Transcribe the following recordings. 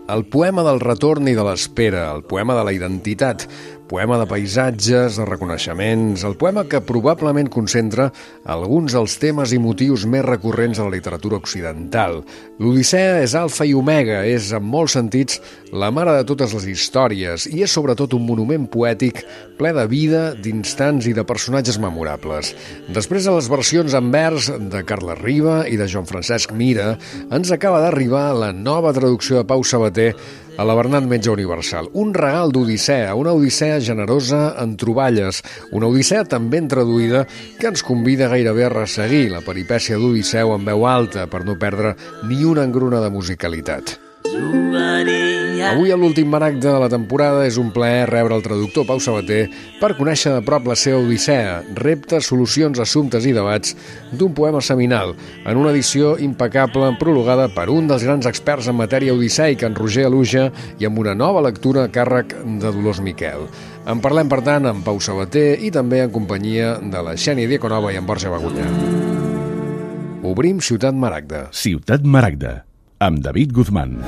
El poema del retorn i de l'espera, el poema de la identitat, poema de paisatges, de reconeixements, el poema que probablement concentra alguns dels temes i motius més recurrents de la literatura occidental. L'Odissea és alfa i omega, és en molts sentits la mare de totes les històries i és sobretot un monument poètic ple de vida, d'instants i de personatges memorables. Després de les versions en vers de Carles Riba i de Joan Francesc Mira, ens acaba d'arribar la nova traducció de Pau Sabater a la Bernat Metge Universal. Un regal d'Odissea, una Odissea generosa en troballes, una Odissea tan ben traduïda que ens convida gairebé a resseguir la peripècia d'Odisseu en veu alta per no perdre ni una engruna de musicalitat. Avui, a l'últim maragde de la temporada, és un plaer rebre el traductor Pau Sabater per conèixer de prop la seva Odissea, reptes, solucions, assumptes i debats d'un poema seminal, en una edició impecable prologada per un dels grans experts en matèria odisseica, en Roger Aluja, i amb una nova lectura a càrrec de Dolors Miquel. En parlem, per tant, amb Pau Sabater i també en companyia de la Xènia Dieconova i en Borja Bagunyà. Obrim Ciutat Maragda. Ciutat Maragda, amb David Guzmán.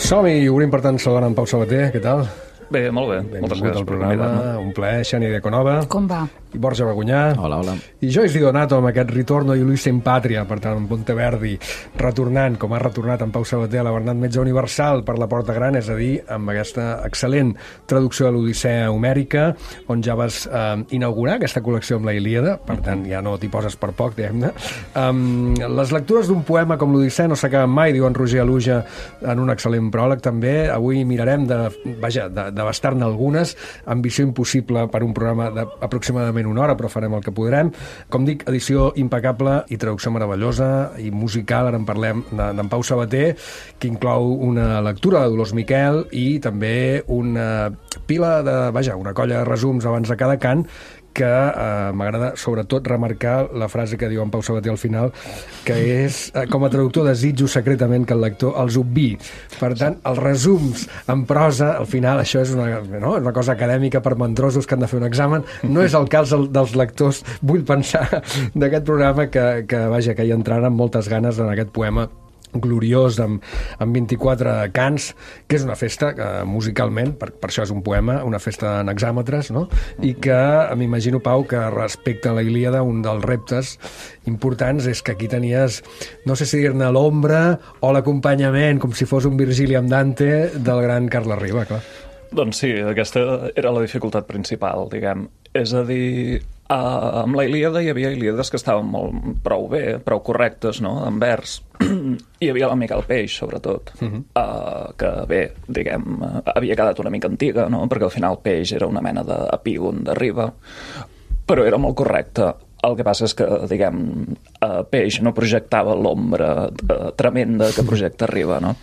Som-hi i obrim, per tant, saludant en Pau Sabater. Què tal? Bé, molt bé. Moltes gràcies per convidar-me. Un plaer, Xènia Dieconova. Com va? I Borja Bagunyà. Hola, hola. I Joyce Di Donato amb aquest Ritorno di Ulisse in Patria, per tant, en Monteverdi, retornant, com ha retornat en Pau Sabater a la Bernat Metge Universal per la Porta Gran, és a dir, amb aquesta excel·lent traducció de l'Odissea homèrica, on ja vas inaugurar aquesta col·lecció amb la Ilíada, per tant, ja no t'hi poses per poc, diguem-ne. Les lectures d'un poema com l'Odissea no s'acaben mai, diu en Roger Aluja en un excel·lent pròleg, també. Avui mirarem d'abastar-ne algunes. Ambició impossible per un programa d'aproximadament una hora, però farem el que podrem. Com dic, edició impecable i traducció meravellosa i musical. Ara en parlem d'en Pau Sabater, que inclou una lectura de Dolors Miquel i també una pila una colla de resums abans de cada cant, que m'agrada sobretot remarcar la frase que diu en Pau Sabater al final, que és, com a traductor desitjo secretament que el lector els obvi. Per tant, els resums en prosa, al final, això és una cosa acadèmica per mandrosos que han de fer un examen. No és el cas dels lectors, vull pensar, d'aquest programa que hi entraran amb moltes ganes en aquest poema gloriós amb 24 cants, que és una festa musicalment, per això és un poema, una festa en hexàmetres, no? I que m'imagino, Pau, que respecte a la Ilíada, un dels reptes importants és que aquí tenies, no sé si dir-ne l'ombra o l'acompanyament, com si fos un Virgili amb Dante, del gran Carles Riba, clar. Doncs sí, aquesta era la dificultat principal, diguem. És a dir, amb la Ilíada hi havia Ilíades que estaven prou bé, prou correctes, no?, en vers. Hi havia la Miquel Peix, sobretot, que bé, diguem, havia quedat una mica antiga, no?, perquè al final Peix era una mena d'epígon de Riba, però era molt correcte. El que passa és que, diguem, Peix no projectava l'ombra tremenda que projecta Riba, no?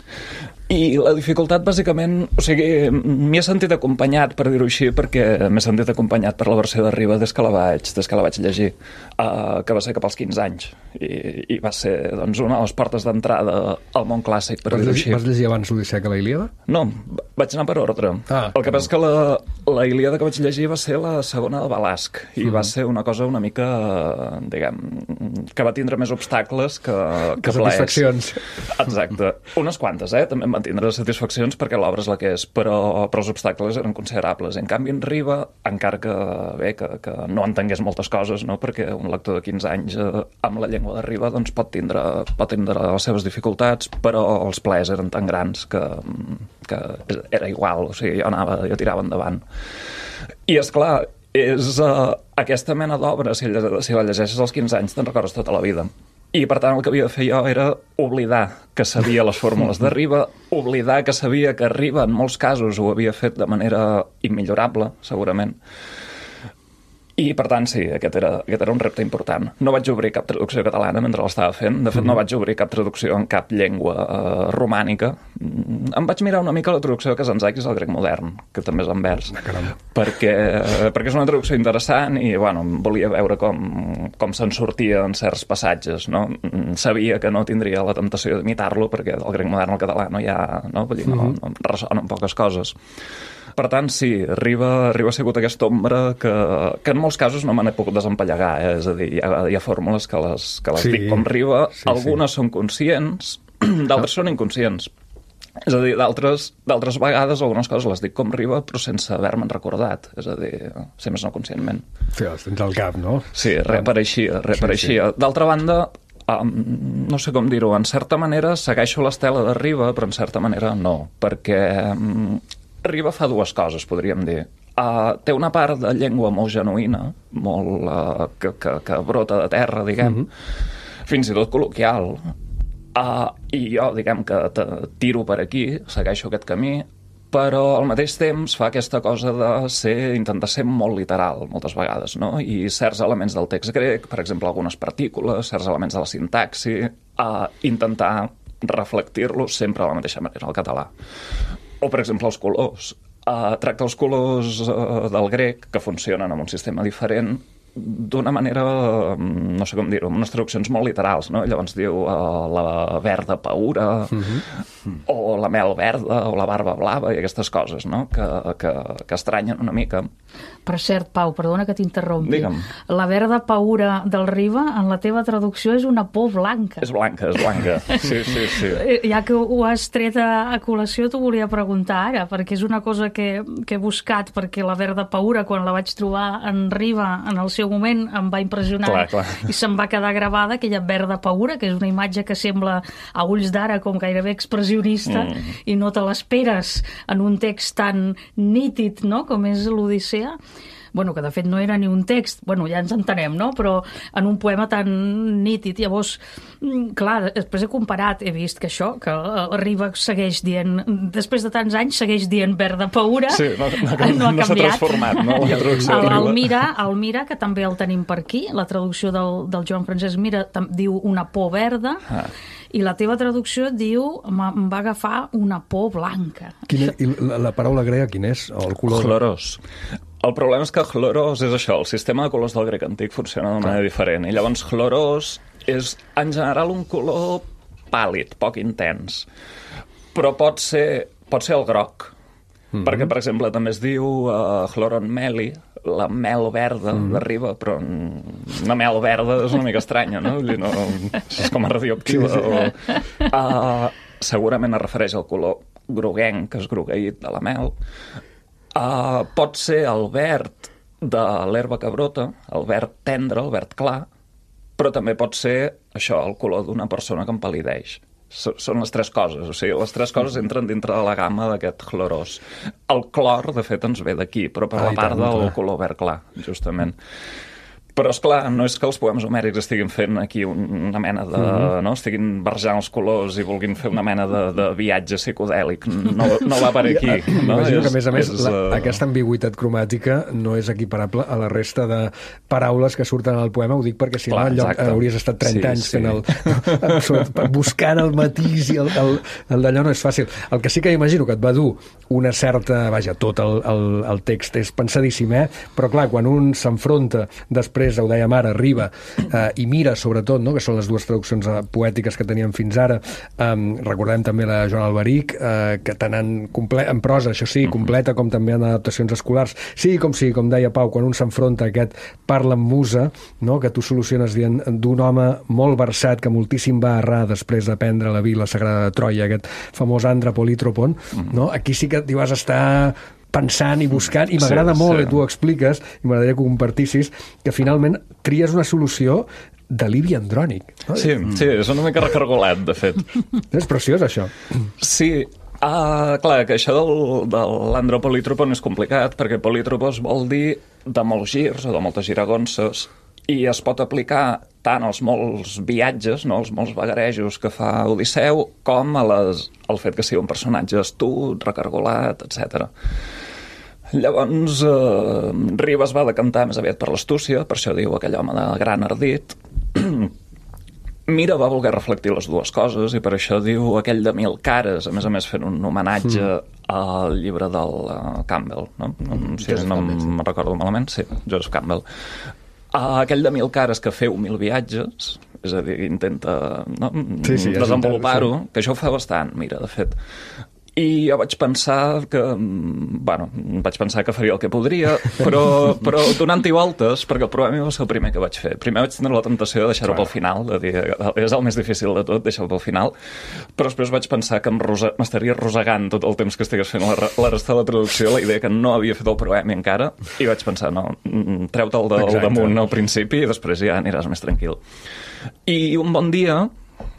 I la dificultat, bàsicament, o sigui, m'hi he sentit acompanyat, per dir-ho així, perquè m'he sentit acompanyat per la versió de Riba des que la vaig llegir, que va ser cap als 15 anys. I va ser, doncs, una de les portes d'entrada al món clàssic, per dir-ho així. Vas llegir abans l'Odissea que la Ilíada? No, vaig anar per ordre. El que passa és que la Ilíada que vaig llegir va ser la segona de Balasc, i va ser una cosa una mica, diguem, que va tindre més obstacles que plaers. Satisfaccions. Exacte. Unes quantes, també em van tindre satisfaccions perquè l'obra és la que és, però els obstacles eren considerables. En canvi, en Riba, encara que no entengués moltes coses, no?, perquè un lector de 15 anys amb la llengua de Riba doncs, pot tindre les seves dificultats, però els plaers eren tan grans que era igual, o sigui, jo tirava endavant. I, esclar, és aquesta mena d'obra, si la llegeixes als 15 anys, te'n recordes tota la vida. I, per tant, el que havia de fer jo era oblidar que sabia les fórmules de Riba, oblidar que sabia que Riba, en molts casos, ho havia fet de manera immillorable, segurament. I, per tant, sí, aquest era un repte important. No vaig obrir cap traducció catalana mentre l'estava fent. De fet, no vaig obrir cap traducció en cap llengua romànica. Em vaig mirar una mica la traducció de Kazantzakis al grec modern, que també és en vers, perquè és una traducció interessant i, bueno, volia veure com se'n sortia en certs passatges, no? Sabia que no tindria la temptació d'imitar-lo, perquè del grec modern al català no hi ha... No? Vull dir, no ressonen poques coses. Per tant, sí, Riba ha sigut aquesta ombra que en molts casos no me n'he pogut desempallegar, És a dir, hi ha fórmules que les dic com Riba, algunes són conscients, d'altres són inconscients. És a dir, d'altres vegades algunes coses les dic com Riba, però sense haver-me'n recordat, és a dir, si més no conscientment. Sí, els tens al cap, no? Sí, reapareixia. Sí. D'altra banda, no sé com dir-ho, en certa manera segueixo l'estela de Riba, però en certa manera no, perquè Riba fa dues coses, podríem dir. Té una part de llengua molt genuïna, molt que brota de terra, diguem, fins i tot col·loquial, i jo, diguem, que tiro per aquí, segueixo aquest camí, però al mateix temps fa aquesta cosa de intentar ser molt literal, moltes vegades, no? I certs elements del text grec, per exemple, algunes partícules, certs elements de la sintaxi, intentar reflectir-los sempre de la mateixa manera al català. O, per exemple, els colors. Tracta els colors del grec, que funcionen amb un sistema diferent, d'una manera, no sé com dir-ho, amb unes traduccions molt literals, no? Llavors diu la verda paura, o la mel verda, o la barba blava, i aquestes coses, no? Que estranyen una mica. Per cert, Pau, perdona que t'interrompi. Digue'm. La verda paura del Riba, en la teva traducció, és una por blanca. És blanca. Sí. Ja que ho has tret a col·lació, t'ho volia preguntar ara, perquè és una cosa que he buscat, perquè la verda paura, quan la vaig trobar en Riba, en el seu moment, em va impressionar. Clar. I se'm va quedar gravada aquella verda paura, que és una imatge que sembla a ulls d'ara com gairebé expressionista, i no te l'esperes en un text tan nítid, no?, com és l'Odissea. Bueno, que de fet no era ni un text, bueno, ja ens entenem, no?, però en un poema tan nítid. Llavors, clar, després he comparat, he vist que això, que Riba segueix dient, després de tants anys, segueix dient verda paura, sí, no ha canviat. S'ha transformat, no?, la traducció de Riba. El Mira, que també el tenim per aquí, la traducció del Joan Francesc Mira diu una por verda, i la teva traducció diu em va agafar una por blanca. I la paraula grega quin és? O el color? Chlorós. El problema és que chlorós és això, el sistema de colors del grec antic funciona d'una manera diferent, i llavors chlorós és en general un color pàl·lid, poc intens, però pot ser el groc, perquè, per exemple, també es diu chloron meli, la mel verda de Riba, però una mel verda és una mica estranya, no? Vull dir, no és com a radioactiva. Segurament es refereix al color groguenc, que és grogueït de la mel. Pot ser el verd de l'herba que brota, el verd tendre, el verd clar, però també pot ser això, el color d'una persona que empal·lideix. Són les tres coses, o sigui, les tres coses entren dintre de la gamma d'aquest chlorós. El clor, de fet, ens ve d'aquí, però per la part del color verd clar, justament. Però, esclar, no és que els poemes homèrics estiguin fent aquí una mena de... no? Estiguin barrejant els colors i vulguin fer una mena de viatge psicodèlic. No va per aquí. No? Imagino que, a més, aquesta ambigüitat cromàtica no és equiparable a la resta de paraules que surten al poema. Ho dic perquè, si no, hauries estat 30 anys fent buscant el matís i el d'allò no és fàcil. El que sí que imagino que et va dur una certa... Vaja, tot el text és pensadíssim, però, clar, quan un s'enfronta després, ho dèiem ara, Riba i Mira, sobretot, no? Que són les dues traduccions poètiques que teníem fins ara. Recordem també la Joan Alberic, que tant en prosa, això sí, completa, com també en adaptacions escolars. Sí, com deia Pau, quan un s'enfronta a aquest parla amb musa, no? Que tu soluciones dient d'un home molt versat que moltíssim va errar després d'aprendre la Vila Sagrada de Troia, aquest famós Andra Politropon, no? Aquí sí que t'hi vas estar pensant i buscant, i m'agrada molt que tu ho expliques, i m'agradaria que ho compartissis, que finalment tries una solució d'alivi andrònic. No? Sí, és una mica recargolat, de fet. És preciós, això. Sí, clar, que això de l'andropolitropon és complicat, perquè politropos vol dir de molts girs o de moltes giragonses, i es pot aplicar tant als molts viatges, no, als molts vagarejos que fa Odisseu, com al fet que sigui un personatge astut, recargolat, etc. Llavors, Ribes va decantar més aviat per l'astúcia, per això diu aquell home de gran ardit. Mira va voler reflectir les dues coses i per això diu aquell de 1000 cares, a més fent un homenatge al llibre del Campbell, no? Si no me'n recordo malament, sí, Joseph Campbell. Aquell de 1000 cares que feu 1000 viatges, és a dir, intenta desenvolupar-ho, que això ho fa bastant, mira, de fet. I jo vaig pensar que faria el que podria, però donant-hi voltes, perquè el problema va ser el primer que vaig fer. Primer vaig tenir la tentació de deixar-ho pel final, de dir, és el més difícil de tot, deixar-ho pel final, però després vaig pensar que m'estaria rosegant tot el temps que estigués fent la resta de la traducció, la idea que no havia fet el poema encara, i vaig pensar, no, treu-te'l del damunt al principi i després ja aniràs més tranquil. I un bon dia,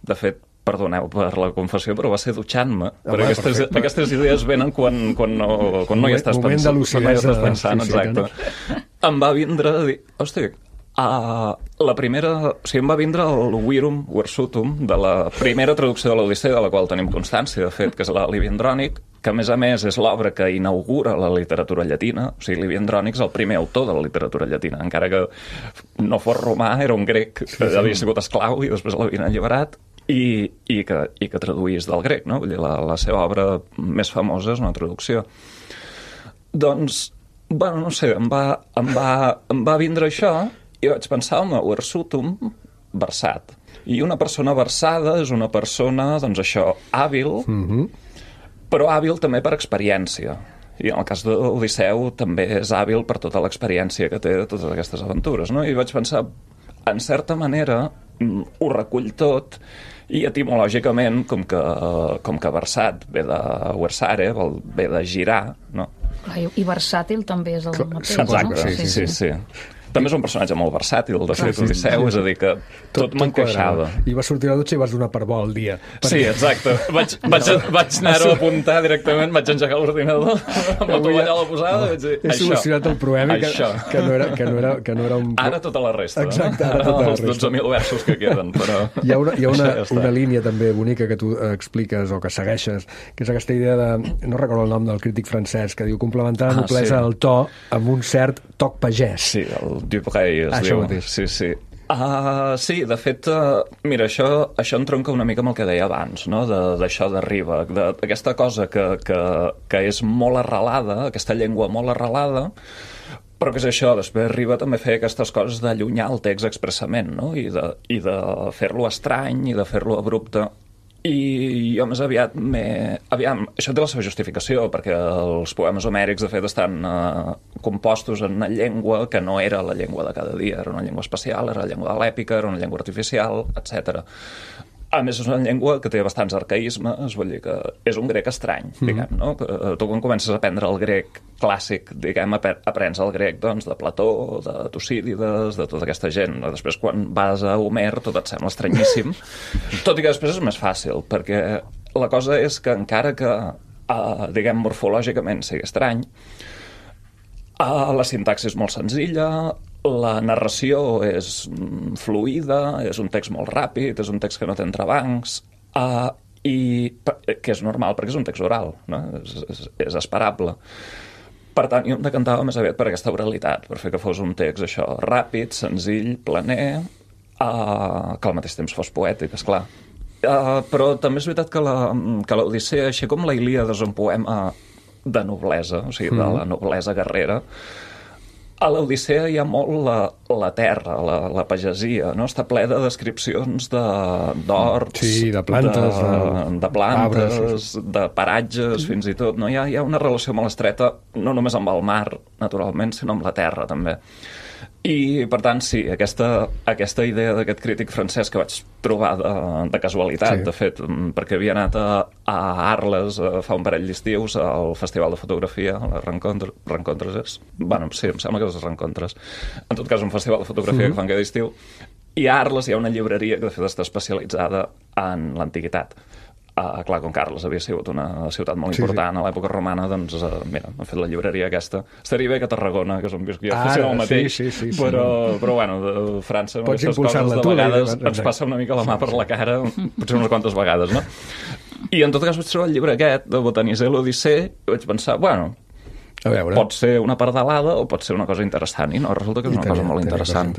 de fet, perdoneu per la confessió, però va ser dutxant-me. Aquestes idees venen quan no hi estàs pensant. Exacte. Em va vindre a dir, hosti, la primera... O sigui, em va vindre el Virum Versutum de la primera traducció de l'Odissea, de la qual tenim constància, de fet, que és la Livy Andrònic, que a més és l'obra que inaugura la literatura llatina. O sigui, Livy Andrònic és el primer autor de la literatura llatina, encara que no fos romà, era un grec que havia sigut esclau i després l'havien alliberat, i que traduís del grec, no? Vull dir, la seva obra més famosa és una traducció. Doncs, no sé, em va vindre això i vaig pensar, home, versutum, versat. I una persona versada és una persona, doncs això, hàbil, però hàbil també per experiència. I en el cas d'Odisseu també és hàbil per tota l'experiència que té de totes aquestes aventures, no? I vaig pensar, en certa manera, ho recull tot, i etimològicament, com que versat ve de versare, ve de girar, no? I versàtil també és el mateix. Exacte, sí. També és un personatge molt versàtil, de fet, Odisseu, és a dir, que tot m'encaixava. I vas sortir a la dutxa i vas donar per bo el dia. Sí, exacte. Vaig anar-ho a apuntar directament, vaig engegar l'ordinador, amb la tovallola posada, vaig dir, he solucionat el problema que no era un... Ara tota la resta, exacte, ara tota la resta. Els 12.000 versos que queden, però... Hi ha una línia també bonica que tu expliques o que segueixes, que és aquesta idea de... No recordo el nom del crític francès, que diu complementar la noblesa del to amb un cert toc pagès. Sí, el Dupré es diu. Sí. Sí, de fet, mira, això entronca una mica amb el que deia abans, no? D'això de Riba, d'aquesta cosa que és molt arrelada, aquesta llengua molt arrelada, però que és això, després Riba també feia aquestes coses d'allunyar el text expressament, no? I de fer-lo estrany i de fer-lo abrupte. I jo més aviat Aviam, això té la seva justificació, perquè els poemes homèrics, de fet, estan compostos en una llengua que no era la llengua de cada dia, era una llengua especial, era la llengua de l'èpica, era una llengua artificial, etc. A més, és una llengua que té bastants arcaïsmes, vull dir que és un grec estrany, diguem, no? Tu quan comences a aprendre el grec clàssic, diguem, aprens el grec, doncs, de Plató, de Tucídides, de tota aquesta gent. Després, quan vas a Homer, tot et sembla estranyíssim, tot i que després és més fàcil, perquè la cosa és que encara que, diguem, morfològicament sigui estrany, la sintaxi és molt senzilla, la narració és fluida, és un text molt ràpid, és un text que no té entrebancs, i que és normal perquè és un text oral, no? És esperable. Per tant, jo em decantava més aviat per aquesta oralitat, per fer que fos un text això ràpid, senzill, planer, que al mateix temps fos poètic, esclar. Però també és veritat que l'Odissea, així com la Ilíada és un poema de noblesa, o sigui, de la noblesa guerrera, a l'Odissea hi ha molt la terra, la pagesia, no? Està ple de descripcions d'horts, de plantes, de paratges, fins i tot. No? Hi ha una relació molt estreta, no només amb el mar, naturalment, sinó amb la terra, també. I, per tant, sí, aquesta idea d'aquest crític francès que vaig trobar de casualitat, de fet, perquè havia anat a Arles fa un parell d'estius al Festival de Fotografia, a les Rencontres. Bueno, sí, em sembla que és les Rencontres. En tot cas, un festival de fotografia que fan cada estiu. I a Arles hi ha una llibreria que, de fet, està especialitzada en l'antiguitat. Clar, com Carles havia sigut una ciutat molt important a l'època romana, doncs, mira, han fet la llibreria aquesta. Estaria bé que Tarragona, que és on visc jo, fossin el mateix, però bueno, de França, amb aquestes coses de vegades ens passa una mica la mà per la cara, potser unes quantes vegades, no? I en tot cas vaig trobar el llibre aquest, de Botaniser l'Odissea, i vaig pensar, bueno, A veure. Pot ser una pardalada o pot ser una cosa interessant, i no, resulta que és una cosa molt interessant.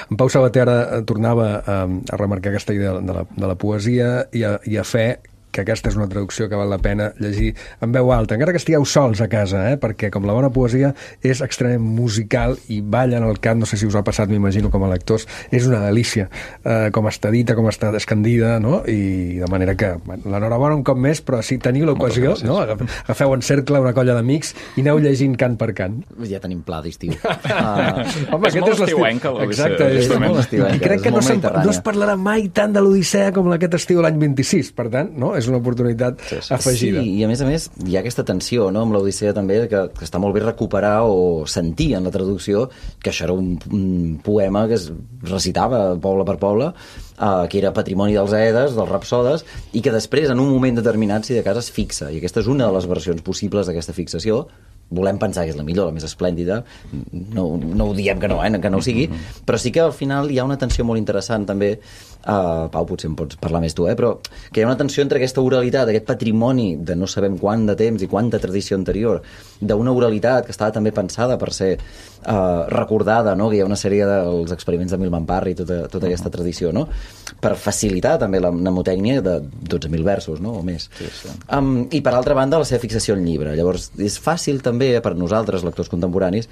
En Pau Sabater tornava a remarcar aquesta idea de la poesia i a fer que aquesta és una traducció que val la pena llegir en veu alta, encara que estigueu sols a casa, perquè com la bona poesia és extremament musical i balla en el cap, no sé si us ha passat, m'imagino, com a lectors, és una delícia, com està dita, com està escandida, no? I de manera que, l'enhorabona un cop més, però si teniu l'ocasió, no? Agafeu en cercle una colla d'amics i aneu llegint cant per cant. Ja tenim pla d'estiu. Home, és molt estiuenca l'Odissea. Exacte, és molt estiuenca. I crec que no es parlarà mai tant de l'Odissea com aquest estiu l'any 26, per tant, no? És una oportunitat afegida. Sí, i a més hi ha aquesta tensió, no?, amb l'Odissea també, que està molt bé recuperar o sentir en la traducció que això era un poema que es recitava poble per poble, que era patrimoni dels Aedes, dels Rapsodes, i que després, en un moment determinat, si de cas es fixa. I aquesta és una de les versions possibles d'aquesta fixació. Volem pensar que és la millor, la més esplèndida, no ho diem que no, que no ho sigui, però sí que al final hi ha una tensió molt interessant també, Pau, potser em pots parlar més tu, però que hi ha una tensió entre aquesta oralitat, aquest patrimoni de no sabem quant de temps i quanta tradició anterior, d'una oralitat que estava també pensada per ser recordada, no?, que hi ha una sèrie dels experiments de Milman Parry i tota aquesta tradició, no?, per facilitar també la mnemotècnia de 12.000 versos, no?, o més. Sí, sí. I per altra banda, la seva fixació al llibre. Llavors, és fàcil també per nosaltres, lectors contemporanis,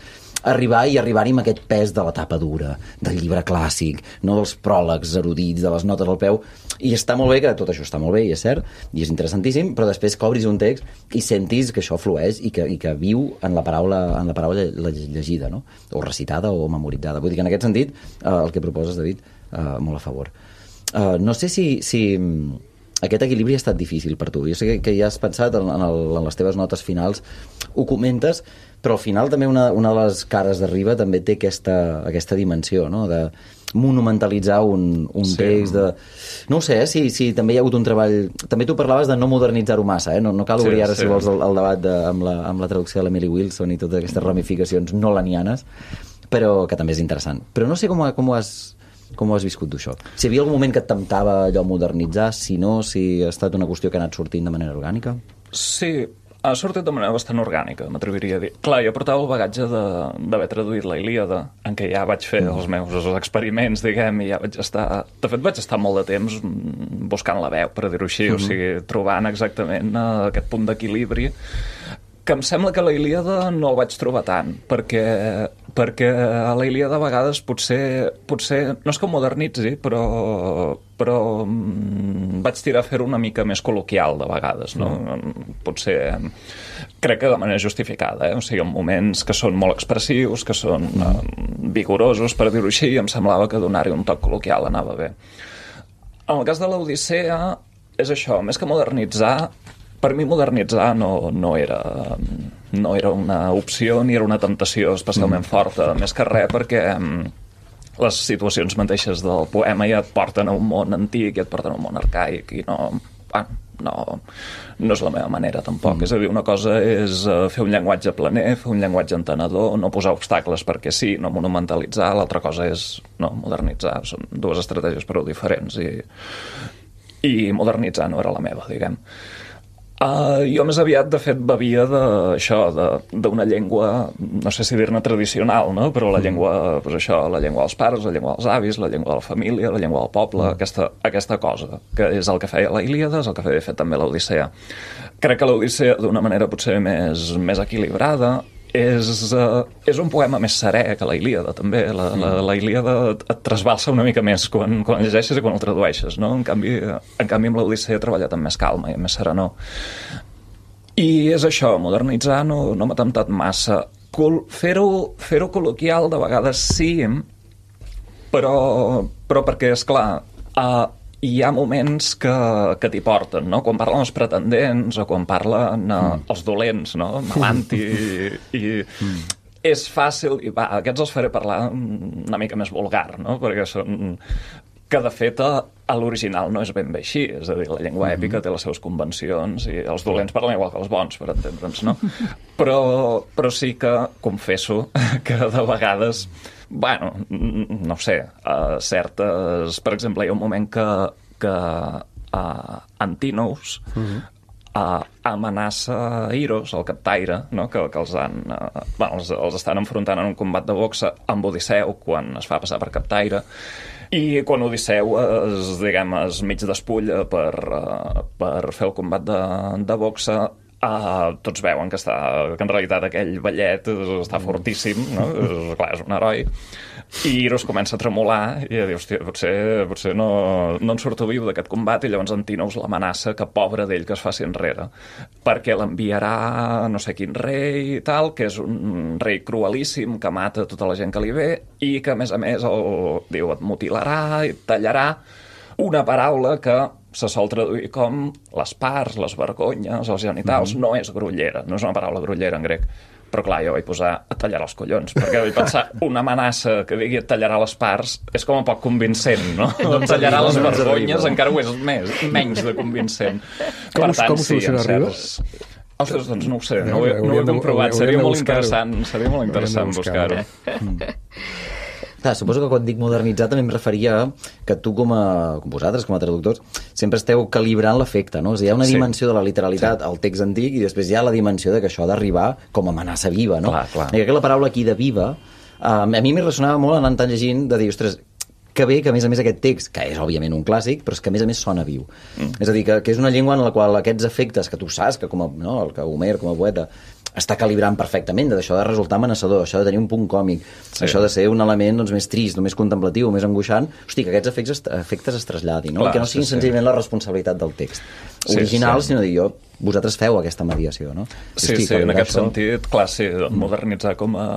arribar-hi amb aquest pes de la tapa dura, del llibre clàssic, no dels pròlegs erudits, de les notes al peu, i està molt bé, que tot això està molt bé, i és cert, i és interessantíssim, però després que obris un text i sentis que això flueix i que viu en la paraula llegida, no?, o recitada o memoritzada. Vull dir que en aquest sentit, el que proposes, David, molt a favor. No sé si aquest equilibri ha estat difícil per tu. Jo sé que ja has pensat en les teves notes finals, ho comentes, però al final també una de les cares d'arriba també té aquesta dimensió, no?, de monumentalitzar un text de... No ho sé, si també hi ha hagut un treball... També tu parlaves de no modernitzar-ho massa, no cal obrir ara, si vols, el debat amb la traducció de l'Emily Wilson i totes aquestes ramificacions nolanianes, però que també és interessant. Però no sé com ho has viscut, això. Si hi havia algun moment que et temptava allò modernitzar, si ha estat una qüestió que ha anat sortint de manera orgànica? Sí, ha sortit de manera bastant orgànica, m'atreviria a dir. Clar, jo portava el bagatge d'haver traduït la Ilíada, en què ja vaig fer els meus experiments, diguem, i ja vaig estar... De fet, vaig estar molt de temps buscant la veu, per dir-ho així, o sigui, trobant exactament aquest punt d'equilibri, que em sembla que a la Ilíada no el vaig trobar tant, perquè a la Ilíada a vegades potser no és que modernitzi, però vaig tirar a fer-ho una mica més col·loquial de vegades, no? Potser crec que de manera justificada, o sigui, en moments que són molt expressius, que són vigorosos, per dir-ho així, i em semblava que donar-hi un toc col·loquial anava bé. En el cas de l'Odissea és això, més que modernitzar, per mi modernitzar no era una opció ni era una temptació especialment forta, més que res perquè les situacions mateixes del poema ja et porten a un món antic, ja et porten a un món arcaic, i no és la meva manera tampoc. És a dir, una cosa és fer un llenguatge planer, fer un llenguatge entenedor, no posar obstacles perquè sí, no monumentalitzar, l'altra cosa és modernitzar. Són dues estratègies prou diferents i modernitzar no era la meva, diguem. Jo més aviat, de fet, bevia d'una llengua, no sé si dir-ne tradicional, no? Però la llengua, la llengua dels pares, la llengua dels avis, la llengua de la família, la llengua del poble, aquesta cosa, que és el que feia la Ilíada, és el que feia, de fet, també l'Odissea. Crec que l'Odissea, d'una manera potser més equilibrada, és un poema més serè que la Ilíada, també. La Ilíada et trasbalsa una mica més quan el llegeixes i quan el tradueixes, no? En canvi amb l'Odissea he treballat amb més calma i amb més serenor. I és això, modernitzar no m'ha temptat massa. Fer-ho col·loquial de vegades sí, però perquè, esclar, hi ha moments que t'hi porten, no? Quan parlen els pretendents o quan parlen els dolents, no? Melanti i és fàcil, i aquests els faré parlar una mica més vulgar, no? Perquè són... que de fet a l'original no és ben bé així, és a dir, la llengua èpica té les seves convencions i els dolents parlen igual que els bons, per entendre'ns, no? Però sí que confesso que de vegades, bueno, no sé, certes... Per exemple, hi ha un moment que Antinous amenaça Iros, el captaire, no? que els estan enfrontant en un combat de boxa amb Odisseu quan es fa passar per captaire, i quan Odisseu es mig despulla per fer el combat de boxa, tots veuen que en realitat aquell ballet està fortíssim, no? Clar, és un heroi, i Iros comença a tremolar i a dir, hòstia, potser no en surto viu d'aquest combat, i llavors Antínou l'amenaça que pobre d'ell que es faci enrere, perquè l'enviarà no sé quin rei i tal, que és un rei cruelíssim que mata tota la gent que li ve i que a més diu, et mutilarà i et tallarà, una paraula que se sol traduir com les parts, les vergonyes, els genitals. No és grollera, no és una paraula grollera en grec. Però clar, jo vaig posar et tallarà els collons, perquè vaig pensar una amenaça que digui et tallarà les parts és com a poc convincent, no? Et tallarà les vergonyes encara ho és menys de convincent. Com ho soluciona Ribes? Ostres, doncs no ho sé, no ho he comprovat. Seria molt interessant buscar-ho. Clar, suposo que quan dic modernitzar també em referia que tu com vosaltres, com a traductors, sempre esteu calibrant l'efecte, no? O sigui, hi ha una dimensió de la literalitat al text antic i després hi ha la dimensió de que això ha d'arribar com a amenaça viva, no? Clar. I que la paraula aquí de viva, a mi m'hi ressonava molt anant tan llegint de dir, ostres, que bé que a més aquest text, que és òbviament un clàssic, però és que a més sona viu. És a dir, que és una llengua en la qual aquests efectes que tu saps, que que Homer com a poeta està calibrant perfectament, d'això de resultar amenaçador, això de tenir un punt còmic, això de ser un element més trist, més contemplatiu, més angoixant, hosti, que aquests efectes es traslladin, no? Clar, que no siguin senzillament la responsabilitat del text original, sinó dir vosaltres feu aquesta mediació, no? Sí, en aquest sentit, clar, modernitzar com a...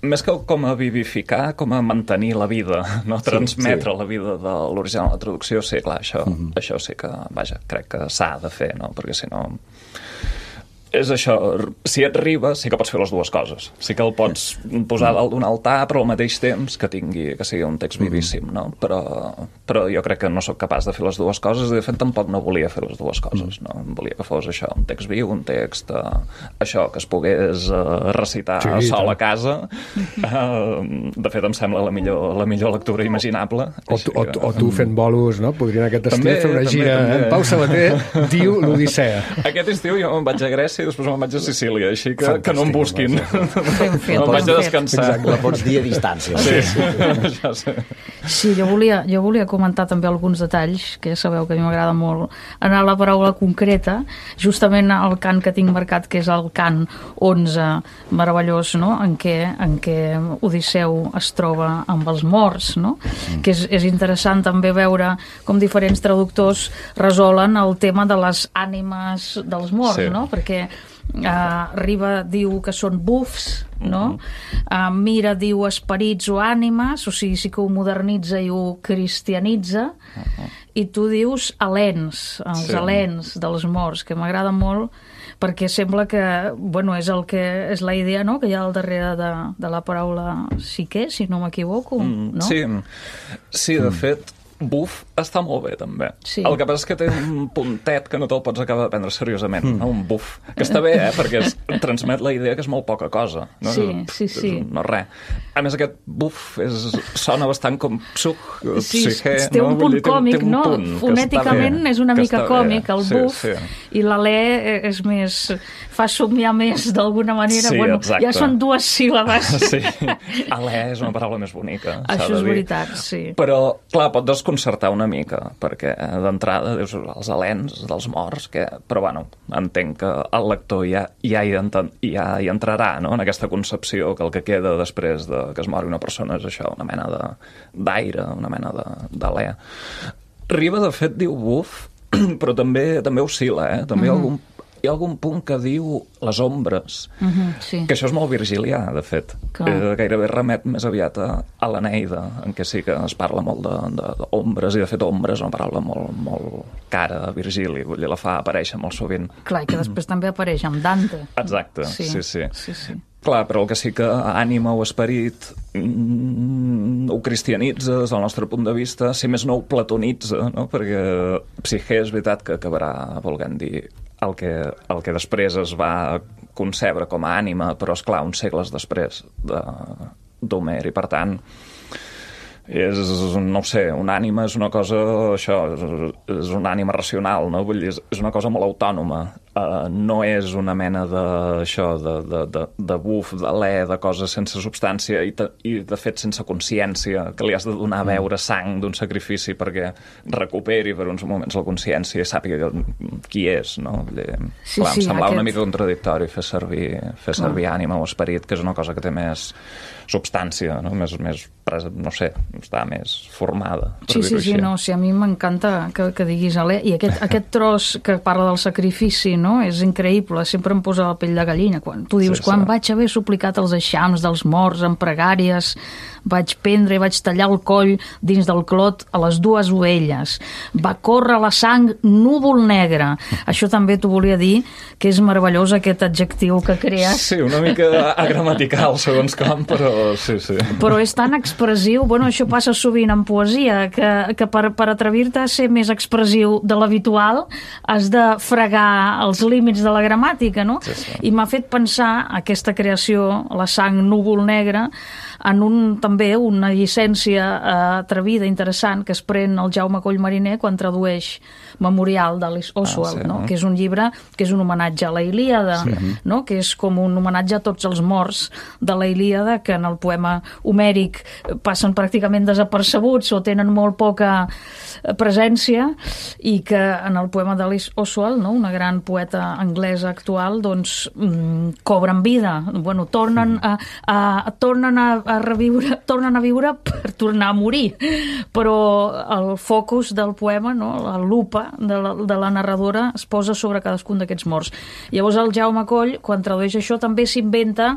Més que com a vivificar, com a mantenir la vida, no? Transmetre la vida de l'original de la traducció, sí, clar, això sí que, vaja, crec que s'ha de fer, no? Perquè si no... És això, si et riba, sí que pots fer les dues coses. Sí que el pots posar dalt d'un altar, però al mateix temps que sigui un text vivíssim, no? Però jo crec que no sóc capaç de fer les dues coses, i de fet tampoc no volia fer les dues coses, no? Volia que fos això, un text viu, un text això, que es pogués recitar sol a casa. De fet, em sembla la millor lectura imaginable. O tu fent bolos, no? Podria en aquest estiu fer una gira. Pau Sabater diu l'Odissea. Aquest estiu jo me'n vaig a Grècia i després me'n vaig a Sicília, així que no em busquin. Me'n vaig a descansar. Exacte, la pots dir a distància. Sí, jo volia comentar també alguns detalls, que ja sabeu que a mi m'agrada molt anar a la paraula concreta, justament el cant que tinc marcat, que és el cant 11, meravellós, no? en què Odisseu es troba amb els morts, no? Que és interessant també veure com diferents traductors resolen el tema de les ànimes dels morts, no? Perquè Riba diu que són bufs, no? Mira diu esperits o ànimes, o sigui, sí que ho modernitza i ho cristianitza, i tu dius alens, els alens dels morts, que m'agrada molt perquè sembla que, és la idea, no?, que hi ha al darrere de la paraula psique, si no m'equivoco, no? Sí, de fet, buf està molt bé, també. Sí. El que passa és que té un puntet que no te'l pots acabar de prendre seriosament, no? Un buf. Que està bé, perquè transmet la idea que és molt poca cosa. No? Sí. No res. A més, aquest buf sona bastant com psique. Té un punt còmic, no? Fonèticament és una mica còmic, el buf, i l'alè és més... fa somiar més, d'alguna manera. Exacte. Ja són dues síl·labes. Sí. Alè és una paraula més bonica, això és veritat, sí. Però, clar, pot desconcertar una mica, perquè d'entrada dius els alens dels morts, però bueno, entenc que el lector ja hi entrarà, no?, en aquesta concepció que el que queda després de que es mori una persona és això, una mena d'aire, una mena d'alè. Riba, de fet, diu buf, però també oscil·la, també hi ha algun punt que diu les ombres, que això és molt virgilià, de fet. Gairebé remet més aviat a l'Eneida, en què sí que es parla molt d'ombres, i de fet ombres és una paraula molt cara a Virgili, vull dir, la fa aparèixer molt sovint. Clar, i que després també apareix amb Dante. Exacte, sí. Clar, però el que sí que ànima o esperit ho cristianitza des del nostre punt de vista, si més no ho platonitza, no? Perquè psique és veritat que acabarà volent dir el que després es va concebre com a ànima, però, esclar, uns segles després d'Homer, i per tant no ho sé, una ànima és una cosa, això, és una ànima racional, no? Vull dir, és una cosa molt autònoma. No és una mena de buf, d'alè, de coses sense substància i de fet sense consciència, que li has de donar a veure sang d'un sacrifici perquè recuperi per uns moments la consciència i sàpiga qui és, no? Em semblava una mica contradictori fer servir ànima o esperit, que és una cosa que té més substància, no? Més no sé, està més formada. Sí, a mi m'encanta que diguis alè, i aquest tros que parla del sacrifici, no? És increïble, sempre em posa la pell de gallina. Quan tu dius, quan vaig haver suplicat els eixams dels morts en pregàries, vaig prendre i vaig tallar el coll dins del clot a les 2 ovelles. Va córrer la sang núvol negre. Això també t'ho volia dir, que és meravellós aquest adjectiu que crees. Sí, una mica agramatical, segons com, però sí. Però és tan expressiu. Bueno, això passa sovint en poesia, que per atrevir-te a ser més expressiu de l'habitual has de fregar els límits de la gramàtica, no? Sí. I m'ha fet pensar aquesta creació, la sang núvol negre, en també una llicència atrevida, interessant, que es pren el Jaume Coll Mariner quan tradueix Memorial d'Alice Oswald, no? Que és un llibre que és un homenatge a la Ilíada, no? Que és com un homenatge a tots els morts de la Ilíada, que en el poema homèric passen pràcticament desapercebuts o tenen molt poca presència, i que en el poema d'Alice Oswald, no? Una gran poeta anglesa actual, doncs cobren vida, bueno, tornen a reviure, tornen a viure per tornar a morir, però el focus del poema, no? La lupa de la narradora es posa sobre cadascun d'aquests morts. Llavors el Jaume Coll, quan tradueix això, també s'inventa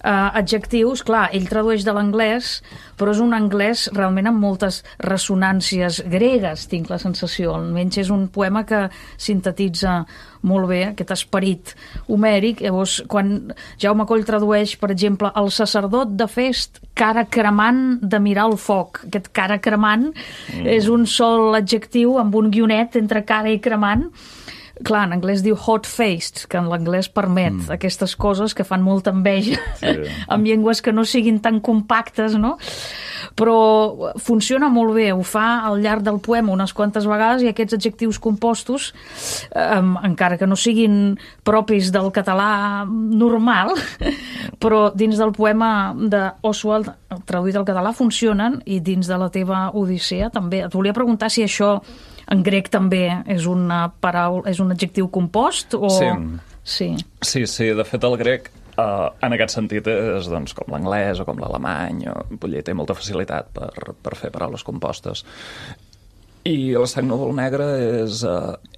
adjectius. Clar, ell tradueix de l'anglès, però és un anglès realment amb moltes ressonàncies gregues, tinc la sensació. Almenys és un poema que sintetitza molt bé aquest esperit homèric. Llavors, quan Jaume Coll tradueix, per exemple, el sacerdot de Fest, cara cremant de mirar el foc. Aquest cara cremant és un sol adjectiu amb un guionet entre cara i cremant. Clar, en anglès diu hot-faced, que en l'anglès permet aquestes coses que fan molta enveja amb llengües que no siguin tan compactes, no? Però funciona molt bé, ho fa al llarg del poema unes quantes vegades, i aquests adjectius compostos, encara que no siguin propis del català normal, però dins del poema d'Oswald, traduït al català, funcionen, i dins de la teva Odissea també. Et volia preguntar si això en grec també és una paraula, és un adjectiu compost? O... Sí. De fet, el grec, en aquest sentit, és doncs, com l'anglès o com l'alemany, té molta facilitat per fer paraules compostes. I la sang núvol negre és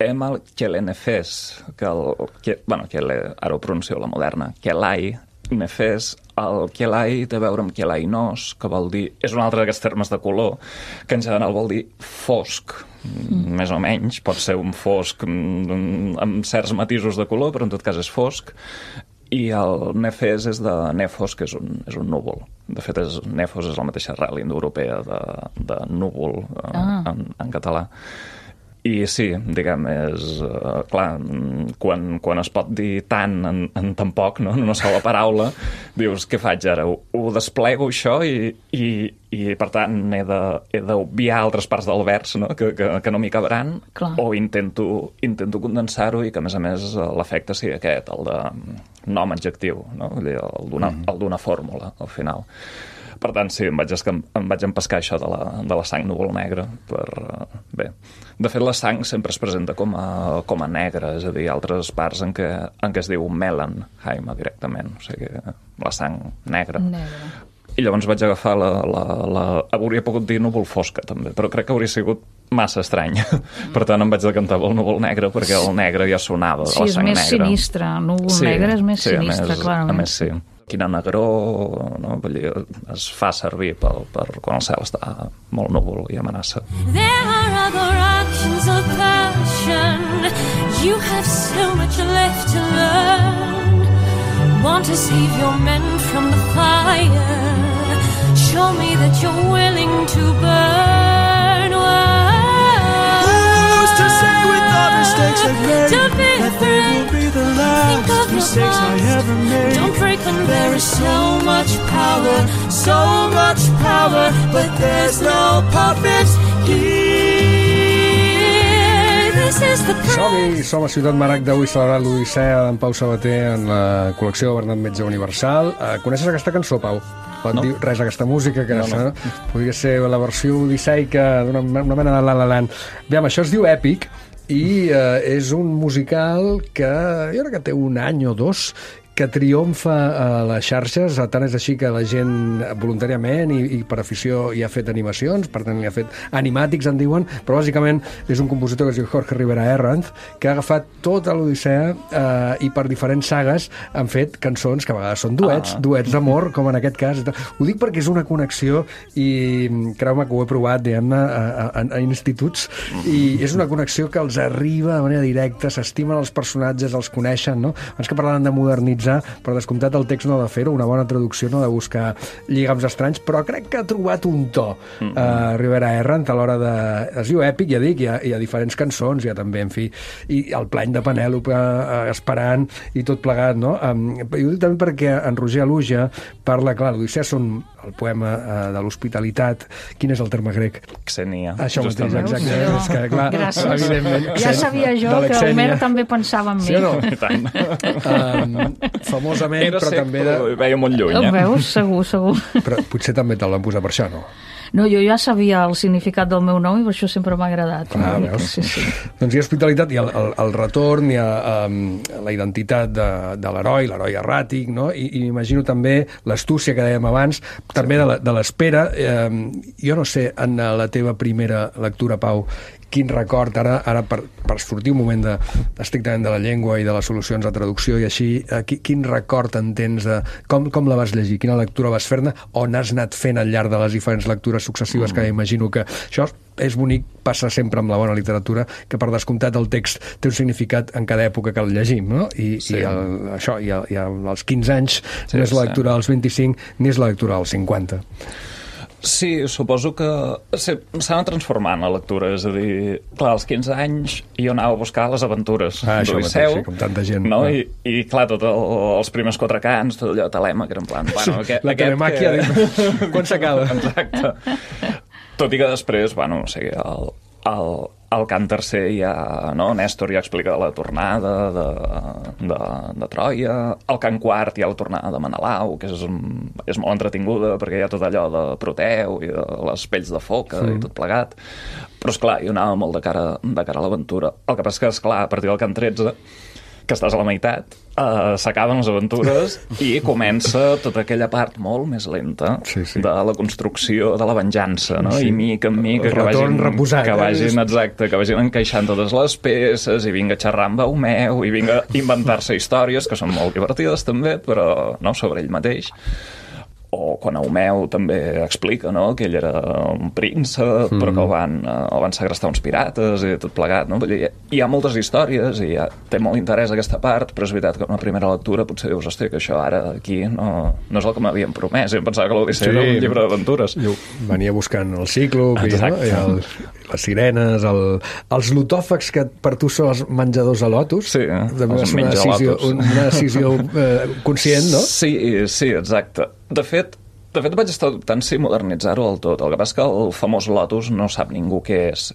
Emal Kelenefes, ara ho pronuncio la moderna, Kelai Nefes. El Kelai té a veure amb Kelainos, que vol dir... És un altre d'aquests termes de color, que en general vol dir fosc, més o menys. Pot ser un fosc amb certs matisos de color, però en tot cas és fosc. I el Nefes és de Nefos, que és un núvol. De fet, Nefos és la mateixa arrel indoeuropea de núvol en català. I sí, diguem, és clar, quan es pot dir tant en tan poc, no? En una sola paraula, dius, què faig ara? Ho desplego això i per tant he d'obviar altres parts del vers, no? Que no m'hi cabraran, o intento condensar-ho i que a més l'efecte sigui aquest, el de nom adjectiu, no? El d'una fórmula al final. Per tant, sí, em vaig empescar això de la sang núvol negra. Bé, de fet, la sang sempre es presenta com a negra, és a dir, altres parts en què es diu Melanheim directament, o sigui, la sang negra. I llavors vaig agafar hauria pogut dir núvol fosca, també, però crec que hauria sigut massa estrany. Per tant, em vaig decantar pel núvol negre, perquè el negre ja sonava de la sang negra. Sí, és més sinistre. Núvol negre és més sinistre, clarament. A més, sí. Quina negror, no? Vull dir, es fa servir per quan el cel està molt núvol i amenaça. There are other actions of passion. You have so much left to learn. Want to save your men from the fire. Show me that you're willing to burn. Who's to say with all mistakes I've made, Don't be that they will be the last mistakes I ever made? Don't break American. There is so much power, but there's no puppets here. This is the Som a Ciutat Maragda, avui celebrat l'Odissea d'en Pau Sabater en la col·lecció de Bernat Metge Universal. Coneixes aquesta cançó, Pau? No dir res d'aquesta música, que no. Podria ser la versió odisseica d'una mena de La La Land. Aviam, això es diu Èpic i és un musical que jo crec que té un any o dos que triomfa a les xarxes, tant és així que la gent voluntàriament i per afició hi ha fet animacions, per tant hi ha fet animàtics, en diuen, però bàsicament és un compositor que es diu Jorge Rivera Herranz, que ha agafat tota l'Odissea i per diferents sagues han fet cançons que a vegades són duets d'amor, com en aquest cas. Ho dic perquè és una connexió i creu-me que ho he provat, diguem-ne, a instituts, i és una connexió que els arriba de manera directa, s'estimen els personatges, els coneixen, no? Abans que parlaven de modernitzar, per descomptat el text no ha de fer-ho, una bona traducció no ha de buscar lligams estranys, però crec que ha trobat un to Rivera Herranz a l'hora de... Es diu Èpic, ja dic, hi ha diferents cançons, hi ha també, en fi, i el plany de Penèlope esperant i tot plegat, no? I ho dic també perquè en Roger Aluja parla, clar, l'Odissea són el poema de l'hospitalitat. Quin és el terme grec? Xenia. Això mateix, exacte. És que, clar, evidentment... Ja sabia jo que Homer també pensava en mi. Sí o no? I tant. Famosament, però també... Veia molt lluny, Ho veus? Segur. Però potser també te'l van posar per això, no? No, jo ja sabia el significat del meu nom i per això sempre m'ha agradat. Veus? Sí. Doncs hi ha hospitalitat, hi ha el retorn, hi ha la identitat de l'heroi erràtic, no? I m'imagino també l'astúcia que dèiem abans, també de l'espera. Jo no sé, en la teva primera lectura, Pau, quin record, ara per sortir un moment estrictament de la llengua i de les solucions de traducció i així, quin record en tens de com la vas llegir, quina lectura vas fer-ne, o n'has anat fent al llarg de les diferents lectures successives, que imagino que això és bonic, passa sempre amb la bona literatura, que per descomptat el text té un significat en cada època que el llegim, no? I als 15 anys no és la lectura dels 25 ni és la lectura dels 50. Sí, suposo que s'ha anat transformant la lectura, és a dir, clar, als 15 anys jo anava a buscar les aventures d'Odisseu, sí, com tanta gent. No? I clar, tots els primers 4 cants, tot allò telema, que era en plan... Bueno, la telemàquia, quan s'acaba? Exacte. Tot i que després, bueno, o sigui, el cant tercer ja, no? Nèstor ja explica la tornada de Troia, el cant quart hi ha la tornada de Menelau, que és molt entretinguda perquè hi ha tot allò de Proteu i de les pells de foca i tot plegat, però esclar, jo anava molt de cara a l'aventura. El que passa és que, esclar, a partir del cant 13, que estàs a la meitat, s'acaben les aventures i comença tota aquella part molt més lenta de la construcció de la venjança, no? I mica en mica que vagin encaixant totes les peces i vinga xerrar amb Eumeu i vinga inventar-se històries que són molt divertides també, però no sobre ell mateix. O quan Eumeu també explica, no?, que ell era un príncep, però que el van segrestar uns pirates i tot plegat, no? Hi ha moltes històries i té molt interès aquesta part, però és veritat que una primera lectura potser dius, hòstia, que això ara aquí no és el que m'havien promès. Jo em pensava que l'Odissea era un llibre d'aventures. Venia buscant el Cíclop i les sirenes, els lotòfags que per tu són els menjadors a Lotus. Sí, els menja-lotus. Una decisió conscient, no? Sí, exacte. De fet, vaig estar dubtant si modernitzar-ho del tot. El que passa és que el famós Lotus no sap ningú què és.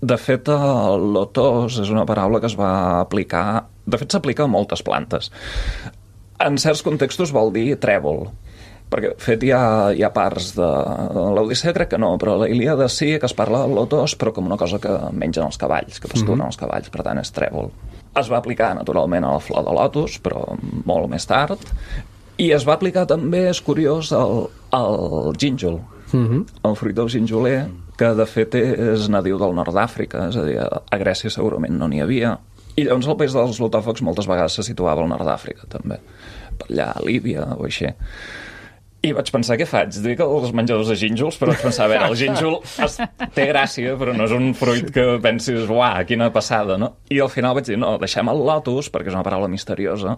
De fet, el lotos és una paraula que es va aplicar... De fet, s'aplica a moltes plantes. En certs contextos vol dir trèvol, perquè, de fet, hi ha parts de l'Odissea, crec que no, però a la Ilíada sí que es parla del lotos, però com una cosa que mengen els cavalls, que pasturen els cavalls, per tant és trèvol. Es va aplicar, naturalment, a la flor de lotus, però molt més tard, i es va aplicar també, és curiós, al gínjol, el fruit del ginjoler, que de fet és nadiu del nord d'Àfrica, és a dir, a Grècia segurament no n'hi havia, i llavors el país dels lotòfags moltes vegades se situava al nord d'Àfrica també, per allà a Líbia o així. I vaig pensar, què faig? Dic els menjadors de gínjols, però vaig pensar, a veure, el gínjol té gràcia, però no és un fruit que pensis, uah, quina passada, no? I al final vaig dir, no, deixem el lotus, perquè és una paraula misteriosa,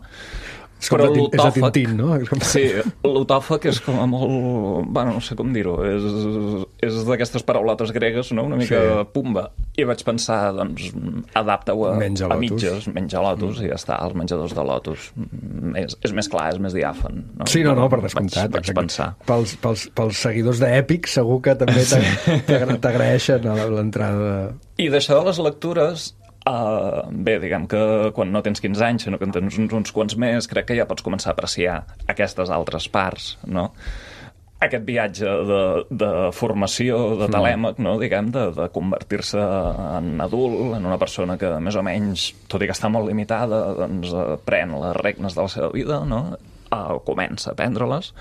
És com és de Tintín, no? Sí, l'otòfag és com a molt... Bueno, no sé com dir-ho. És d'aquestes paraulotes gregues, no? Una mica pumba. I vaig pensar, doncs, adapta-ho a mitges, menja lotus, i ja està, els menjadors de lotus. És més clar, és més diàfan. No? Sí, no, per descomptat. Vaig pensar. Pels seguidors d'Èpic segur que també t'agraeixen l'entrada. I d'això de les lectures... bé, diguem que quan no tens 15 anys, sinó que en tens uns quants més, crec que ja pots començar a apreciar aquestes altres parts, no? Aquest viatge de formació, de telèmac, no? Diguem, de convertir-se en adult, en una persona que més o menys, tot i que està molt limitada, doncs pren les regnes de la seva vida, no? Comença a prendre-les.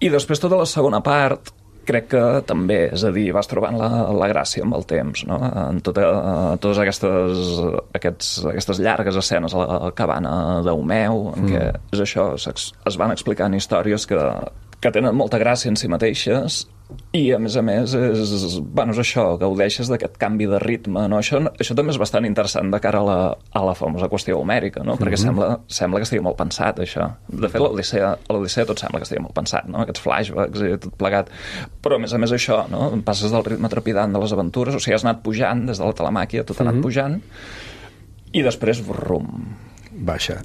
I després tota la segona part, crec que també, és a dir, vas trobant la gràcia amb el temps, no? En totes aquestes llargues escenes a la cabana d'Eumeu, en què és això, es van explicant històries que tenen molta gràcia en si mateixes i, a més, és això, gaudeixes d'aquest canvi de ritme, no? Això també és bastant interessant de cara a la famosa qüestió homèrica, no? Perquè sembla que estigui molt pensat, això. De fet, a l'Odissea tot sembla que estigui molt pensat, no? Aquests flashbacks i tot plegat. Però, a més això, no? Passes del ritme trepidant de les aventures, o sigui, has anat pujant des de la telemàquia, tot ha anat pujant, i després, brum, baixa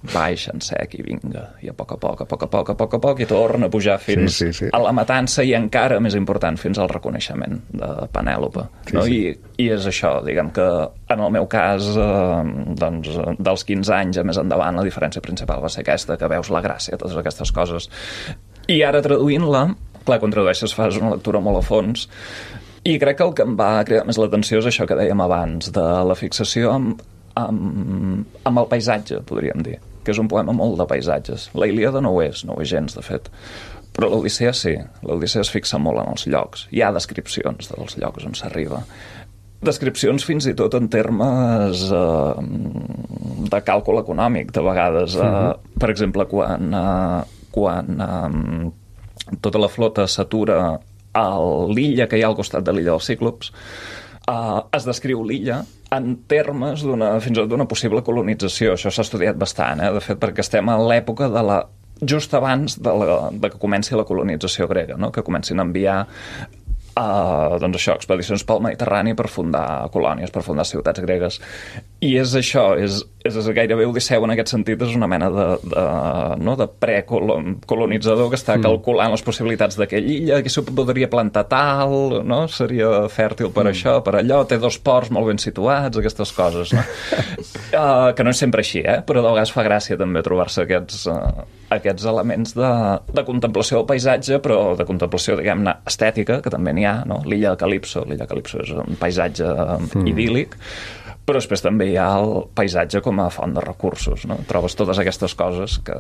en sec i vinga, i a poc a poc i torna a pujar fins a la matança i encara més important, fins al reconeixement de Penèlope, no? I és això, diguem que en el meu cas doncs, dels 15 anys a més endavant la diferència principal va ser aquesta, que veus la gràcia, totes aquestes coses, i ara traduint-la, clar, quan tradueixes fas una lectura molt a fons, i crec que el que em va cridar més l'atenció és això que dèiem abans, de la fixació amb el paisatge, podríem dir, que és un poema molt de paisatges. La Ilíada no ho és gens, de fet. Però l'Odissea sí. L'Odissea es fixa molt en els llocs. Hi ha descripcions dels llocs on s'arriba. Descripcions fins i tot en termes de càlcul econòmic, de vegades. Per exemple, quan tota la flota s'atura a l'illa que hi ha al costat de l'illa dels Cíclops, es descriu l'illa en termes fins i tot d'una possible colonització. Això s'ha estudiat bastant, de fet, perquè estem a l'època just abans de que comenci la colonització grega, no? Que comencin a enviar doncs això, expedicions pel Mediterrani per fundar colònies, per fundar ciutats gregues. I és això, és gairebé Odisseu en aquest sentit, és una mena de precolonitzador que està calculant les possibilitats d'aquella illa, que s'ho podria plantar tal, no? Seria fèrtil per això, per allò, té 2 ports molt ben situats, aquestes coses, no? Que no és sempre així, però de vegades fa gràcia també trobar-se aquests elements de contemplació del paisatge, però de contemplació, diguem-ne, estètica, que també n'hi ha, no? L'illa de Calipso és un paisatge idíl·lic, però després també hi ha el paisatge com a font de recursos, no? Trobes totes aquestes coses que,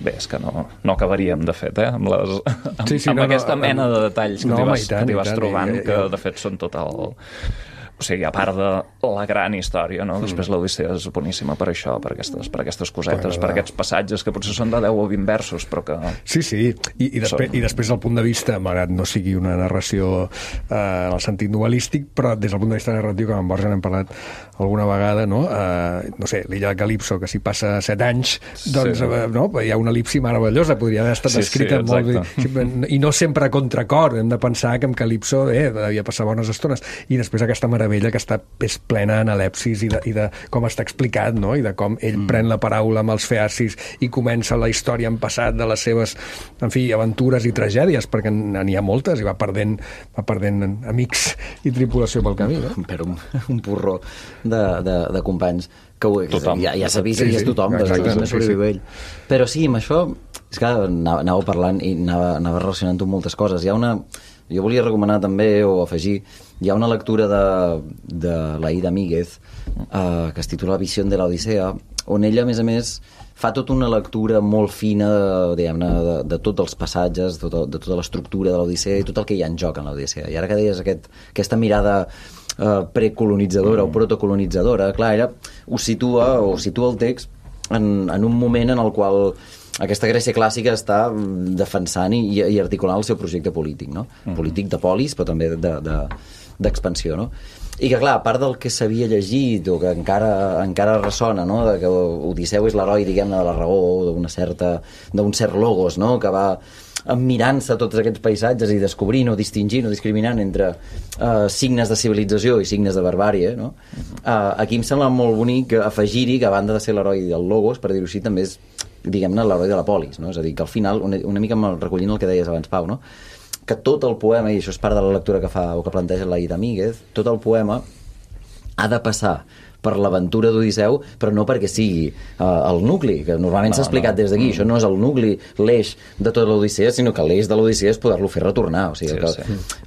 bé, és que no acabaríem, de fet, amb aquesta mena de detalls que t'hi vas trobant, que de fet són tot el... O sigui, a part de la gran història, no? Després l'Odissea és boníssima per això, per aquestes cosetes, per aquests passatges que potser són de 10 o 20 versos, però que... Sí. I després el punt de vista, malgrat no sigui una narració en el sentit novel·lístic, però des del punt de vista narratiu, que amb Borja n'hem parlat alguna vegada, no? No sé, l'illa de Calipso, que s'hi passa 7 anys, doncs no? Hi ha una elipsi meravellosa, podria haver estat escrita molt bé. I no sempre a contracor, hem de pensar que amb Calipso devia passar bones estones. I després aquesta meravella que està plena d'anàlepsis i de com està explicat, no? I de com ell pren la paraula amb els feacis i comença la història en passat de les seves, en fi, aventures i tragèdies, perquè n'hi ha moltes i va perdent amics i tripulació pel camí, no? Per un porró de companys que ja s'ha vist i és tothom, no sobreviu ell. Però sí, amb això és que anàveu parlant i anava relacionant-ho amb moltes coses. Jo volia recomanar també, o afegir, hi ha una lectura de l'Aida Míguez que es titula Visió de l'Odissea, on ella, a més, fa tota una lectura molt fina de tots els passatges, de tota l'estructura de l'Odissea i tot el que hi ha en joc en l'Odissea. I ara que deies aquesta mirada precolonitzadora o protocolonitzadora, clar, ella ho situa el text en un moment en el qual aquesta Grècia clàssica està defensant i articulant el seu projecte polític, no? Polític de polis, però també d'expansió, no? I que, clar, a part del que s'havia llegit o que encara ressona, no? De que Odisseu és l'heroi, diguem-ne, de la raó, d'un cert logos, no? Que va mirant-se tots aquests paisatges i descobrint o distingint o discriminant entre signes de civilització i signes de barbàrie, no? Aquí em sembla molt bonic afegir-hi que, a banda de ser l'heroi del logos, per dir-ho així, també és, diguem-ne, l'heroi de la polis, no? És a dir, que al final, una mica recollint el que deies abans, Pau, no? Que tot el poema, i això és part de la lectura que fa o que planteja l'Aida Míguez, tot el poema ha de passar per l'aventura d'Odisseu, però no perquè sigui el nucli, que normalment s'ha explicat des d'aquí. Això no és el nucli, l'eix de tota l'Odissea, sinó que l'eix de l'Odissea és poder-lo fer retornar. O sigui,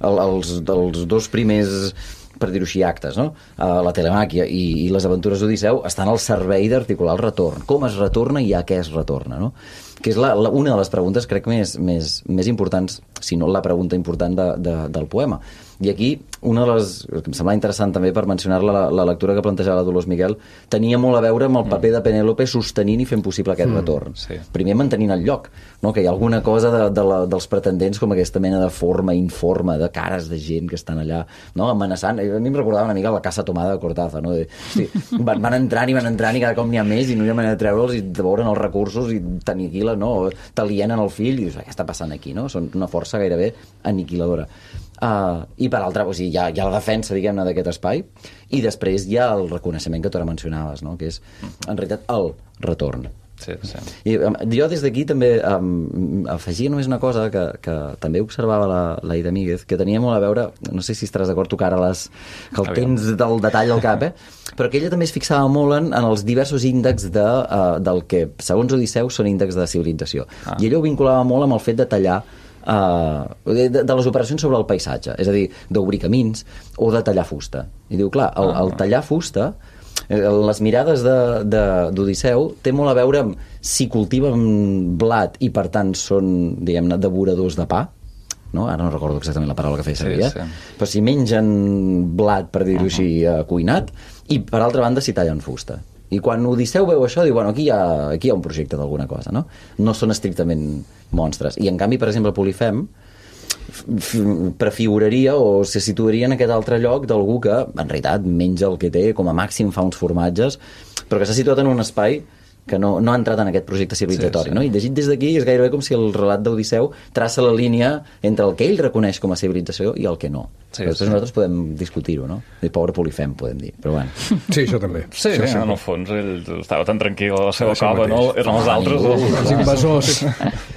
els dos primers, per dir-ho així, actes, no? La telemàquia i les aventures d'Odisseu estan al servei d'articular el retorn. Com es retorna i a què es retorna, no? Que és una de les preguntes, crec, més importants, si no la pregunta important del poema. I aquí, una de les... que em sembla interessant també per mencionar-la, la lectura que plantejava la Dolors Miguel, tenia molt a veure amb el paper de Penèlope sostenint i fent possible aquest retorn. Sí. Primer mantenint el lloc, no? Que hi ha alguna cosa dels pretendents com aquesta mena de forma informe, de cares de gent que estan allà, no? Amenaçant. A mi em recordava una mica la Casa Tomada de Cortázar, no? Van entrant i cada cop n'hi ha més i no hi ha manera de treure'ls i de veure'n els recursos i t'aniquilen, no? T'alienen el fill i dius, què està passant aquí, no? Són una força gairebé aniquiladora. I per altra, o sigui, hi ha la defensa, diguem-ne, d'aquest espai, i després hi ha el reconeixement que tu ara mencionaves, no? Que és, en realitat, el retorn. Sí. I jo des d'aquí també afegia només una cosa que també observava l'Aida Míguez, que tenia molt a veure, no sé si estaràs d'acord, tu que ara que el tens del detall al cap, però que ella també es fixava molt en els diversos índexs del que, segons Odisseu, són índexs de civilització. I ella ho vinculava molt amb el fet de tallar de les operacions sobre el paisatge, és a dir, d'obrir camins o de tallar fusta. I diu, clar, el tallar fusta, les mirades d'Odisseu té molt a veure amb si cultiven blat i per tant són, diguem-ne, devoradors de pa, no? Ara no recordo exactament la paraula que feia servir, però si mengen blat, per dir-ho així, cuinat, i per altra banda si tallen fusta. I quan Odisseu veu això, diu, bueno, aquí hi ha un projecte d'alguna cosa, no? No són estrictament monstres. I en canvi, per exemple, Polifem prefiguraria o se situaria en aquest altre lloc d'algú que, en realitat, menja el que té, com a màxim fa uns formatges, però que s'ha situat en un espai que no ha entrat en aquest projecte civilizatori, no? I llegit des d'aquí és gairebé com si el relat d'Odisseu traça la línia entre el que ell reconeix com a civilització i el que no. Nosaltres podem discutir-ho, no? El pobre Polifem, podem dir, però bueno. Sí, això també. Sí, en el fons ell estava tan tranquil a la seva cova, no? Eren els altres, els invasors.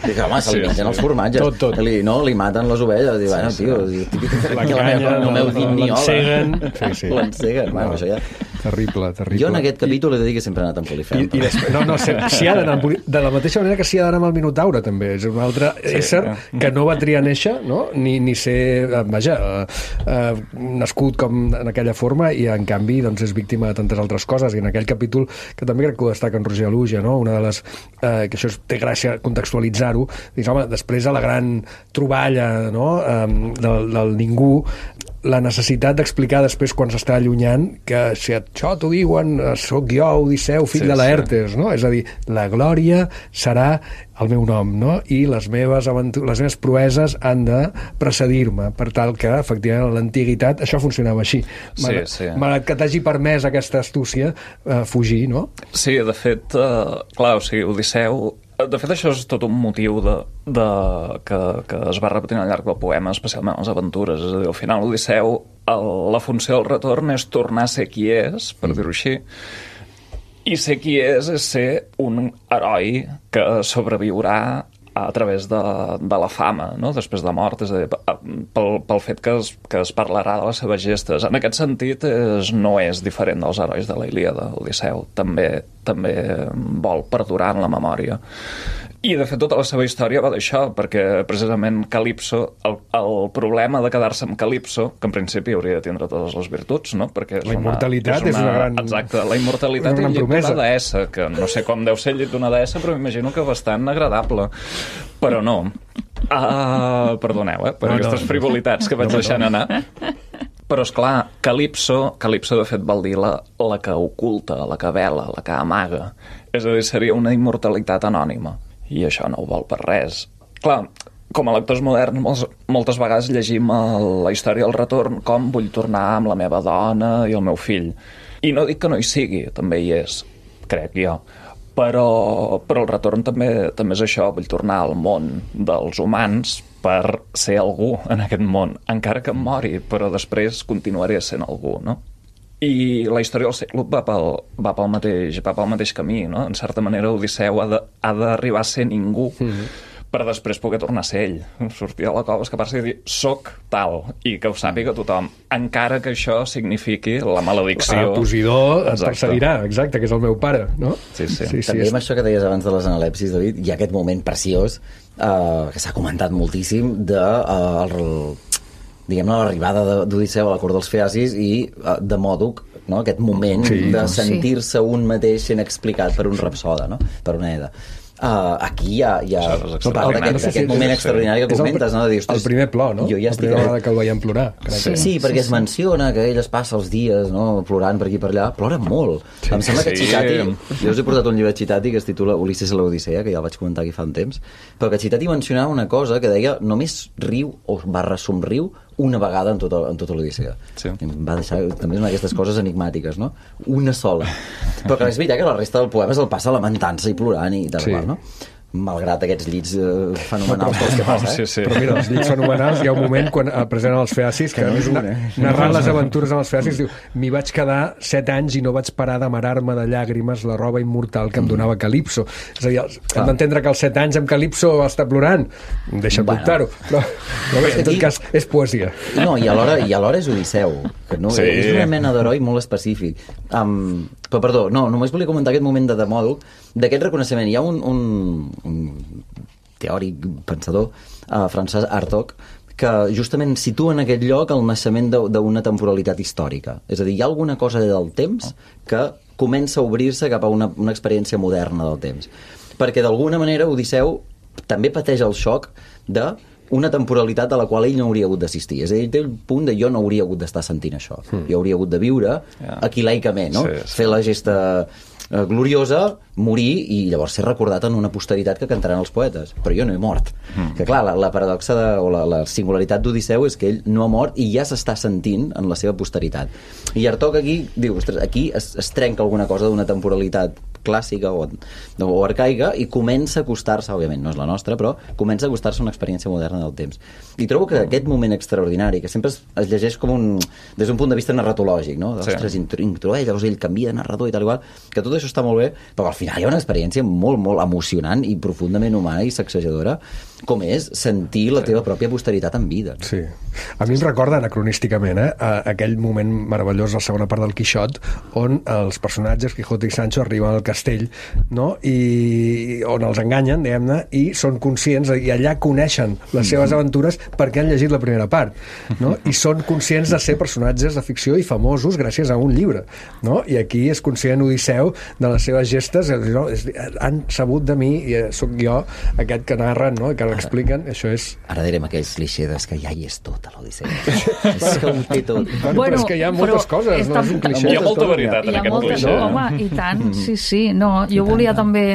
Dic, home, se'l mengen els formatges. Tot. Li maten les ovelles. Diu, bueno, tio, la canya, no m'heu dit ni hola. L'enceguen. L'enceguen, bueno, això ja... Terrible. Jo en aquest capítol he de dir que sempre he anat amb Polifem. I després, s'hi ha d'anar de la mateixa manera que s'hi ha d'anar amb el Minotaure, també. És un altre ésser que no va triar néixer, no? Ni ser, nascut com en aquella forma i, en canvi, doncs, és víctima de tantes altres coses. I en aquell capítol, que també crec que ho destaca en Roger Aluja, no? Una de les... que això té gràcia contextualitzar-ho, dius, home, després de la gran troballa, no? Del ningú, la necessitat d'explicar després quan s'està allunyant que si això t'ho diuen sóc jo, Odisseu, fill de Laertes, no? És a dir, la glòria serà el meu nom, no? I les meves proeses han de precedir-me, per tal que, efectivament, a l'antiguitat això funcionava així. Malgrat que t'hagi permès aquesta astúcia fugir, no? Sí, de fet, clar, o sigui, Odisseu... De fet, això és tot un motiu que es va repetint al llarg del poema, especialment les aventures. És a dir, al final, Odisseu, la funció del retorn és tornar a ser qui és, per dir-ho així, i ser qui és ser un heroi que sobreviurà a través de la fama, no? Després de la mort, és a dir, pel fet que es parlarà de les seves gestes. En aquest sentit, no és diferent dels herois de la Ilíada. Odisseu també vol perdurar en la memòria. I, de fet, tota la seva història va d'això, perquè, precisament, Calipso, el problema de quedar-se amb Calipso, que en principi hauria de tindre totes les virtuts, no? Perquè la immortalitat és una gran... Exacte, la immortalitat i el llit d'una deessa, que no sé com deu ser el llit d'una deessa, però m'imagino que bastant agradable. Però no. Perdoneu, per aquestes frivolitats que vaig deixant anar. Però, esclar, Calipso, de fet, vol dir la que oculta, la que vela, la que amaga. És a dir, seria una immortalitat anònima. I això no ho vol per res. Clar, com a lectors moderns, moltes vegades llegim la història del retorn com vull tornar amb la meva dona i el meu fill. I no dic que no hi sigui, també hi és, crec jo. Però el retorn també és això, vull tornar al món dels humans per ser algú en aquest món, encara que em mori, però després continuaré sent algú, no? I la història del Cíclop va pel mateix camí, no? En certa manera, Odisseu ha d'arribar a ser ningú per després poder tornar a ser ell. Sortir de la cova, escapar-se i dir soc tal, i que ho sàpiga tothom, encara que això signifiqui la maledicció. Posidó et perseguirà, exacte, que és el meu pare, no? Sí. També amb això que deies abans de les analepsis, David, hi ha aquest moment preciós que s'ha comentat moltíssim diguem-ne, l'arribada d'Odisseu a la cort dels Feacis i de Mòdoc, no? Aquest moment de sentir-se un mateix sent explicat per un rapsoda, no? Per una Eda. Aquí hi ha aquest moment extraordinari que comentes, no? De dir, el primer plor, no? La primera vegada que el veiem plorar. Sí, perquè es menciona que ell es passa els dies, no?, plorant per aquí i per allà. Plora molt. Em sembla que Citati... Jo us he portat un llibre de Citati que es titula Ulisses a l'Odissea, que ja el vaig comentar aquí fa un temps, però que Citati mencionava una cosa que deia només riu o /somriu una vegada en tota l'Odissea. Em va deixar també una d'aquestes coses enigmàtiques, no? Una sola. Però que és veritat que la resta del poema se'l passa lamentant-se i plorant i tal, no? Malgrat aquests llits fenomenals pels que passa, Però mira, els llits fenomenals, hi ha un moment quan presenten els Feacis, que narrant les aventures amb els Feacis, diu, m'hi vaig quedar 7 anys i no vaig parar d'amarar-me de llàgrimes la roba immortal que em donava Calipso. És a dir, hem d'entendre que als 7 anys amb Calipso va estar plorant, deixa'm dubtar-ho, però bé, en tot cas és poesia. No, i alhora és Odisseu, que no, és una mena d'heroi molt específic. Però perdó, només volia comentar aquest moment de Demòdoc, d'aquest reconeixement. Hi ha un teòric pensador francès, Hartog, que justament situa en aquest lloc el naixement d'una temporalitat històrica. És a dir, hi ha alguna cosa del temps que comença a obrir-se cap a una experiència moderna del temps. Perquè d'alguna manera Odisseu també pateix el xoc de una temporalitat a la qual ell no hauria hagut d'assistir. És a dir, té el punt de jo no hauria hagut d'estar sentint això. Jo hauria hagut de viure aquilaicament, no? Fer la gesta gloriosa, morir i llavors ser recordat en una posteritat que cantaran els poetes. Però jo no he mort. Que clar, la paradoxa o la singularitat d'Odisseu és que ell no ha mort i ja s'està sentint en la seva posteritat. I Hartog aquí diu, ostres, aquí es trenca alguna cosa d'una temporalitat clàssica o arcaica i comença a acostar-se, òbviament no és la nostra, però comença a acostar-se a una experiència moderna del temps. I trobo que aquest moment extraordinari, que sempre es llegeix com des d'un punt de vista narratològic, no? Ostres, introdueix, llavors ell canvia de narrador i tal igual, que tot això està molt bé, però al final hi ha una experiència molt, molt emocionant i profundament humana i sacsejadora, com és sentir la teva pròpia posteritat en vida. Sí. A mi em recorda anacronísticament aquell moment meravellós a la segona part del Quixot on els personatges Quijote i Sancho arriben al castell, no? I on els enganyen, diguem-ne, i són conscients, i allà coneixen les seves aventures perquè han llegit la primera part, no? I són conscients de ser personatges de ficció i famosos gràcies a un llibre, no? I aquí és conscient Odisseu de les seves gestes, no? Han sabut de mi i sóc jo aquest que narren, no? Que expliquen, això és... Ara direm aquells clixés que ja hi és tot a l'Odissea. És que ho té tot. Però és que hi ha moltes coses, no? És un clixé. Hi ha molta veritat en aquest clixé. Home, i tant, sí. No, jo volia també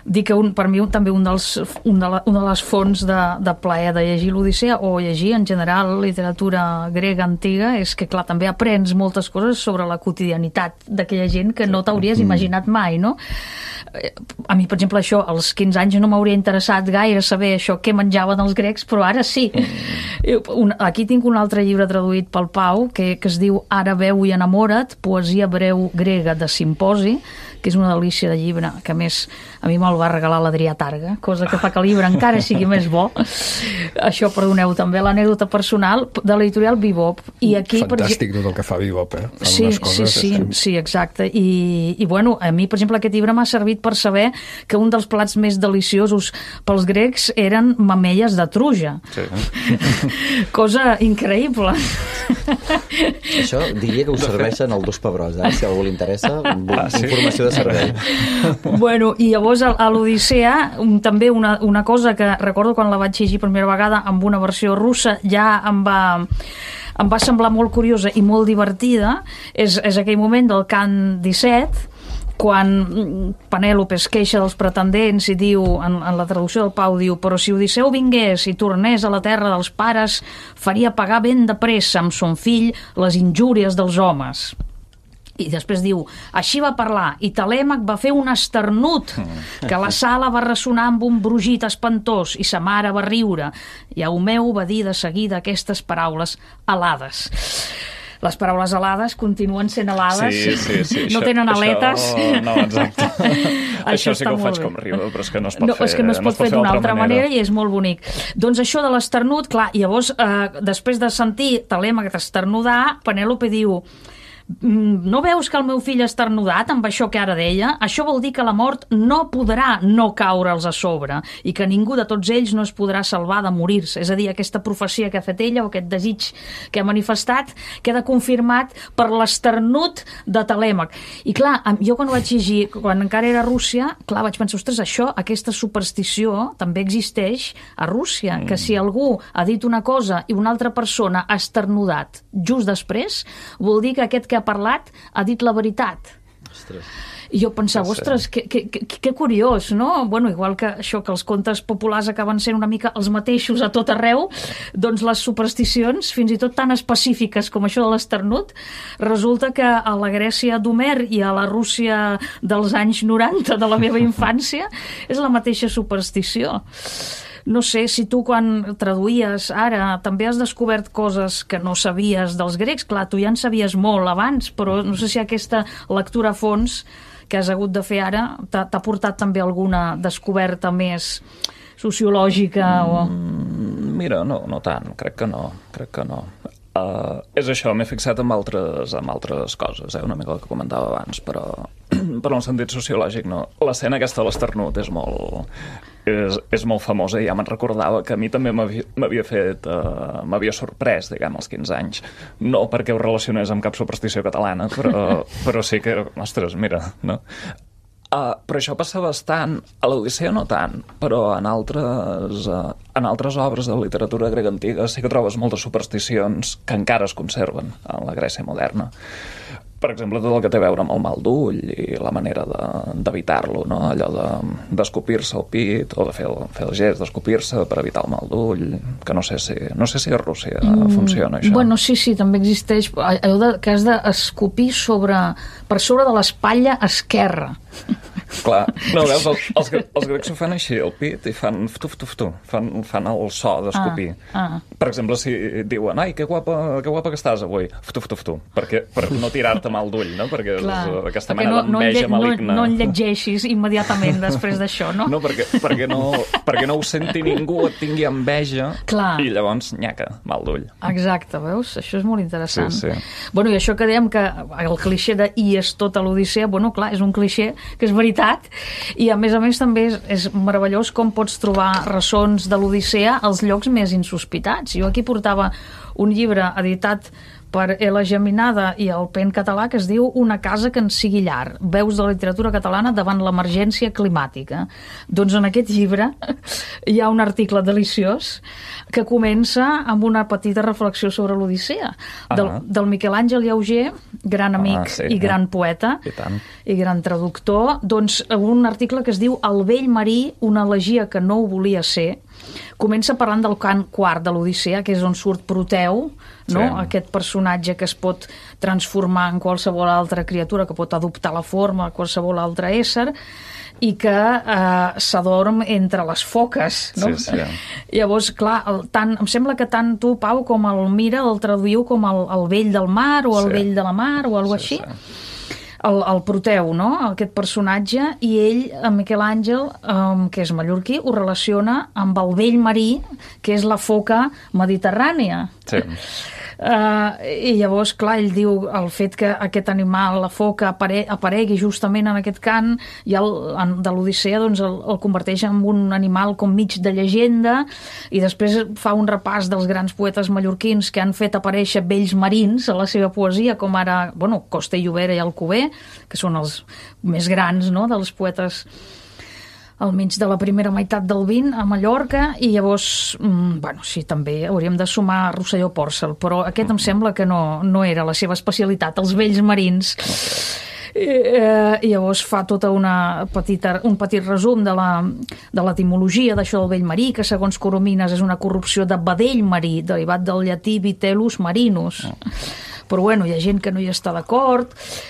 dir que per mi també una de les fonts de plaer de llegir l'Odissea o llegir en general literatura grega antiga és que, clar, també aprens moltes coses sobre la quotidianitat d'aquella gent que no t'hauries imaginat mai, no? A mi, per exemple, això, als 15 anys no m'hauria interessat gaire saber això, què menjaven els grecs, però ara sí. Aquí tinc un altre llibre traduït pel Pau que es diu Ara veu i enamora't, poesia breu grega de Simposi, que és una delícia de llibre, que a més a mi me'l va regalar l'Adrià Targa, cosa que fa que el llibre encara sigui més bo. Això, perdoneu, també l'anècdota personal de l'editorial Bebop. I aquí, fantàstic tot el que fa Bebop, Sí, exacte. I bueno, a mi, per exemple, aquest llibre m'ha servit per saber que un dels plats més deliciosos pels grecs eren mamelles de truja. Sí. Cosa increïble. Això diria que us serveixen el Dos Pebrós, si a algú li interessa, informació de servei. Bueno, i llavors a l'Odissea també una cosa que recordo quan la vaig llegir per primera vegada amb una versió russa, ja em va semblar molt curiosa i molt divertida, és aquell moment del cant 17, quan Penèlope es queixa dels pretendents i diu, en la traducció del Pau, diu: però si Odisseu vingués i tornés a la terra dels pares, faria pagar ben de pressa amb son fill les injúries dels homes. I després diu: així va parlar, i Telèmac va fer un esternut, que la sala va ressonar amb un brugit espantós, i sa mare va riure, i Eumeu va dir de seguida aquestes paraules alades. Les paraules alades continuen sent alades, sí. no tenen aletes. No, exacte. Això sí que ho faig com riure, però és que no es pot fer. És que no es pot fer d'una altra manera i és molt bonic. Doncs això de l'esternut, clar, llavors, després de sentir Telèmac esternudar, Penèlope diu: no veus que el meu fill ha esternudat amb això que ara deia? Això vol dir que la mort no podrà no caure'ls a sobre i que ningú de tots ells no es podrà salvar de morir-se. És a dir, aquesta profecia que ha fet ella o aquest desig que ha manifestat queda confirmat per l'esternut de Telèmac. I clar, jo quan ho vaig llegir, quan encara era a Rússia, clar, vaig pensar, ostres, això, aquesta superstició també existeix a Rússia, que si algú ha dit una cosa i una altra persona ha esternudat just després, vol dir que aquest que ha parlat ha dit la veritat. Ostres. I jo pensava, ostres, que curiós, no? Bueno, igual que això, que els contes populars acaben sent una mica els mateixos a tot arreu, doncs les supersticions, fins i tot tan específiques com això de l'esternut, resulta que a la Grècia d'Homer i a la Rússia dels anys 90 de la meva infància és la mateixa superstició. No sé si tu quan traduïes ara també has descobert coses que no sabies dels grecs. Clar, tu ja en sabies molt abans, però no sé si aquesta lectura a fons que has hagut de fer ara t'ha portat també alguna descoberta més sociològica o... Mira, no tant, crec que no. És això, m'he fixat en altres coses, una mica el que comentava abans, però en un sentit sociològic no. L'escena aquesta de l'esternut és molt famosa i ja me'n recordava que a mi també m'havia sorprès, diguem, als 15 anys. No perquè ho relacionés amb cap superstició catalana, però sí que, ostres, mira, no? Però això passa bastant, a l'Odissea no tant, però en altres obres de literatura grega antiga sí que trobes moltes supersticions que encara es conserven en la Grècia moderna. Per exemple, tot el que té a veure amb el mal d'ull i la manera d'evitar-lo, no? Allò d'escopir-se al pit o de fer el gest d'escopir-se per evitar el mal d'ull, que no sé si a Rússia funciona això. Bueno, sí, també existeix allò que has d'escopir per sobre de l'espatlla esquerra. Clar, no, veus, els grecs ho fan així, al pit, i fan tu, fan el so d'escopir. Per exemple, si diuen, ai, que guapa que estàs avui, tu, per no tirar-te mal d'ull, no? Perquè és aquesta mena d'enveja maligna. No en llegeixis immediatament després d'això, no? No, perquè no ho senti ningú, et tingui enveja, i llavors, nyaca, mal d'ull. Exacte, veus? Això és molt interessant. Sí. Bueno, i això que dèiem que el clixé de i és tota l'Odissea, bueno, clar, és un clixé que és veritat, i a més també és meravellós com pots trobar ressons de l'Odissea als llocs més insospitats. Jo aquí portava un llibre editat per Ela Geminada i el PEN català que es diu Una casa que ens sigui llar, veus de la literatura catalana davant l'emergència climàtica. Doncs en aquest llibre hi ha un article deliciós que comença amb una petita reflexió sobre l'Odissea del Miquel Àngel Llauger, gran amic i gran poeta i gran traductor. Doncs un article que es diu El vell marí, una elegia que no ho volia ser. Comença parlant del cant quart de l'Odissea, que és on surt Proteu, no? Aquest personatge que es pot transformar en qualsevol altra criatura, que pot adoptar la forma de qualsevol altre ésser, i que s'adorm entre les foques, no? Sí. Llavors, clar, em sembla que tant tu, Pau, com el Mira el traduïu com el vell del mar o el vell de la mar o alguna cosa així. El Proteu, no? Aquest personatge, i ell, en Miquel Àngel, que és mallorquí, ho relaciona amb el vell marí, que és la foca mediterrània. Sí. I llavors, clar, ell diu el fet que aquest animal, la foca, aparegui justament en aquest cant de l'Odissea, doncs el converteix en un animal com mig de llegenda, i després fa un repàs dels grans poetes mallorquins que han fet aparèixer vells marins a la seva poesia, com ara, bueno, Costa i Llobera i Alcover, que són els més grans, no?, dels poetes almenys de la primera meitat del XX a Mallorca, i llavors, bueno, sí, també hauríem de sumar Rosselló Pòrcel, però aquest em sembla que no era la seva especialitat, els vells marins. I llavors fa tota un petit resum de l'etimologia d'això del vell marí, que segons Coromines és una corrupció de vedell marí, derivat del llatí vitellus marinus. Però bueno, hi ha gent que no hi està d'acord,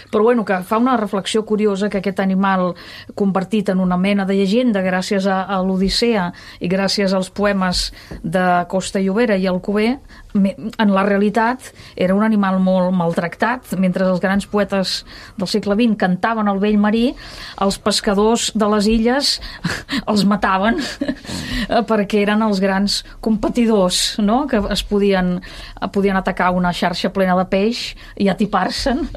però bueno, que fa una reflexió curiosa que aquest animal convertit en una mena de llegenda gràcies a l'Odissea i gràcies als poemes de Costa i Llobera i Alcover, en la realitat era un animal molt maltractat. Mentre els grans poetes del segle XX cantaven el vell marí, els pescadors de les illes els mataven perquè eren els grans competidors, no? Que podien atacar una xarxa plena de peix i atipar-se'n.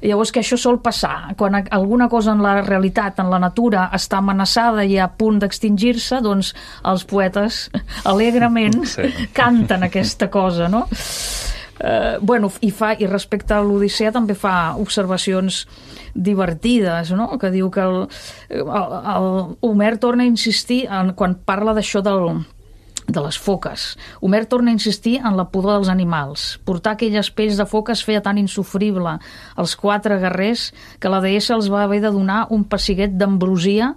Llavors, que això sol passar. Quan alguna cosa en la realitat, en la natura, està amenaçada i a punt d'extingir-se, doncs els poetes alegrement canten aquesta cosa, no? I respecte a l'Odissea també fa observacions divertides, no? Que diu que Homer torna a insistir quan parla d'això de les foques. Homer torna a insistir en la pudor dels animals. Portar aquelles pells de foques feia tan insofrible als 4 guerrers que la deessa els va haver de donar un pessiguet d'ambrosia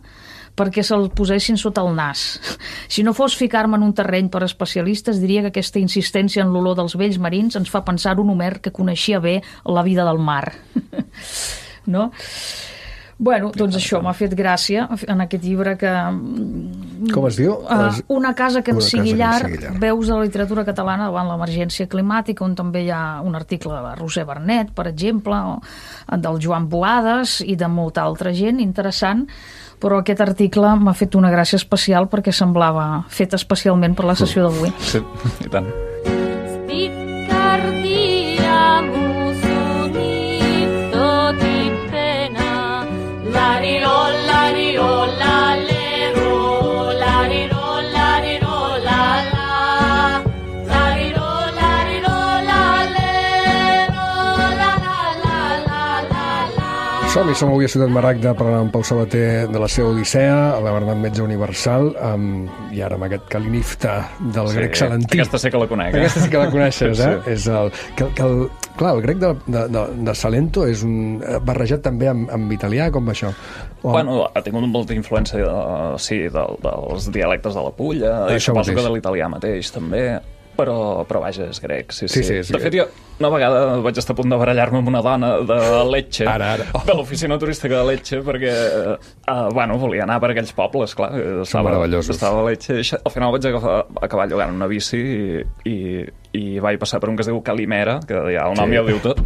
perquè se'l posessin sota el nas. Si no fos ficar-me en un terreny per especialistes, diria que aquesta insistència en l'olor dels vells marins ens fa pensar un Homer que coneixia bé la vida del mar. No? Bueno, doncs això m'ha fet gràcia en aquest llibre que... Com es diu? Una casa que ens sigui llar, veus de la literatura catalana davant l'emergència climàtica, on també hi ha un article de la Roser Bernet, per exemple, o del Joan Boades i de molta altra gent, interessant, però aquest article m'ha fet una gràcia especial perquè semblava fet especialment per la sessió d'avui. Sí, i tant. Som avui a Ciutat Maragda parlant amb Pau Sabater de la seva Odissea, la Bernat Metge Universal, i ara amb aquest Calinifta del grec salentí. Aquesta sí que la conec. Aquesta sí que la coneixes, eh? Sí. És clar, el grec de Salento és barrejat també amb italià, com va això? Bueno, ha tingut molta influència dels dialectes de la Pulla, i suposo que de l'italià mateix també, però vaja, és grec, sí. De fet, jo una vegada vaig estar a punt de barallar-me amb una dona de Lecce, de l'oficina turística de Lecce, perquè volia anar per aquells pobles, clar, estava a Lecce, i al final vaig acabar llogant una bici i vaig passar per un que es diu Calimera, que ja el nom ja ho diu tot,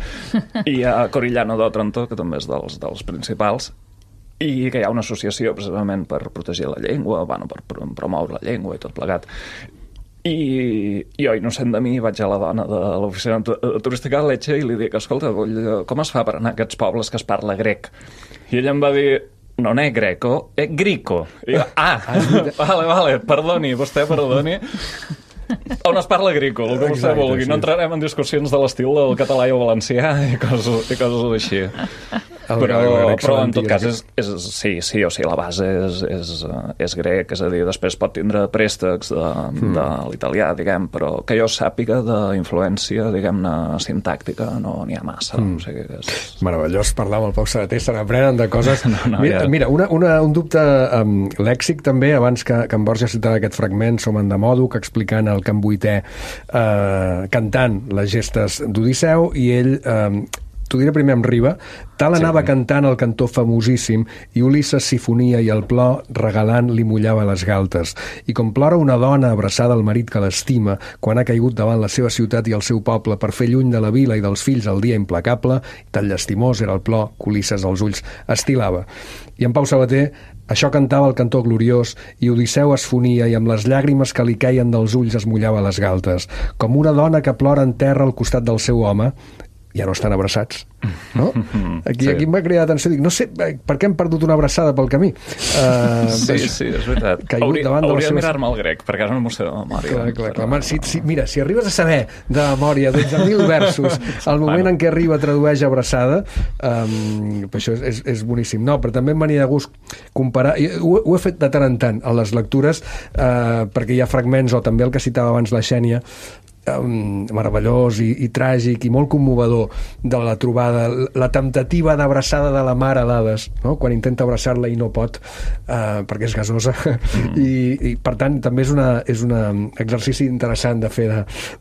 i a Corigliano d'Otranto, que també és dels principals, i que hi ha una associació precisament per protegir la llengua, per promoure la llengua i tot plegat. I jo, innocent de mi, vaig a la dona de l'oficina turística de Lecce i li dic, escolta, com es fa per anar a aquests pobles que es parla grec? I ella em va dir, no è greco, è grico. I jo, vale, perdoni, vostè perdoni. On es parla grico, el que vostè vulgui. No entrarem en discussions de l'estil del català i el valencià i coses així. Però en tot cas la base és grec, és a dir, després pot tindre préstecs de l'italià, diguem, però que jo sàpiga d'influència, diguem-ne, sintàctica, no n'hi ha massa. O sigui que és... Meravellós parlar amb el Pau Sabater, se n'aprenen de coses. Mira, un dubte lèxic també, abans que en Borja citava aquest fragment, som en Demòdoc explicant el Camp Vuitè cantant les gestes d'Odisseu, i ell... T'ho diré primer amb Riba. Tal anava cantant el cantor famosíssim i Ulisses s'hi fonia i el plor regalant li mullava les galtes. I com plora una dona abraçada al marit que l'estima quan ha caigut davant la seva ciutat i el seu poble per fer lluny de la vila i dels fills el dia implacable, tan llastimós era el plor que Ulisses als ulls estilava. I en Pau Sabater això cantava el cantor gloriós i Odisseu es fonia i amb les llàgrimes que li queien dels ulls es mullava les galtes. Com una dona que plora en terra al costat del seu home, ja no estan abraçats, no? Aquí em va cridar l'atenció, dic, no sé per què hem perdut una abraçada pel camí. Sí, és veritat. Hauria de mirar-me el grec, perquè ara no m'ho sé de memòria. Clar. Mira, si arribes a saber de memòria 12.000 versos al moment en què arriba tradueix abraçada, això és boníssim. No, però també em venia de gust comparar, ho he fet de tant en tant a les lectures, perquè hi ha fragments, o també el que citava abans la Xènia, meravellós i tràgic i molt commovedor de la trobada, la temptativa d'abraçada de la mare d'Hades, no? Quan intenta abraçar-la i no pot perquè és gasosa i per tant també és un exercici interessant de fer,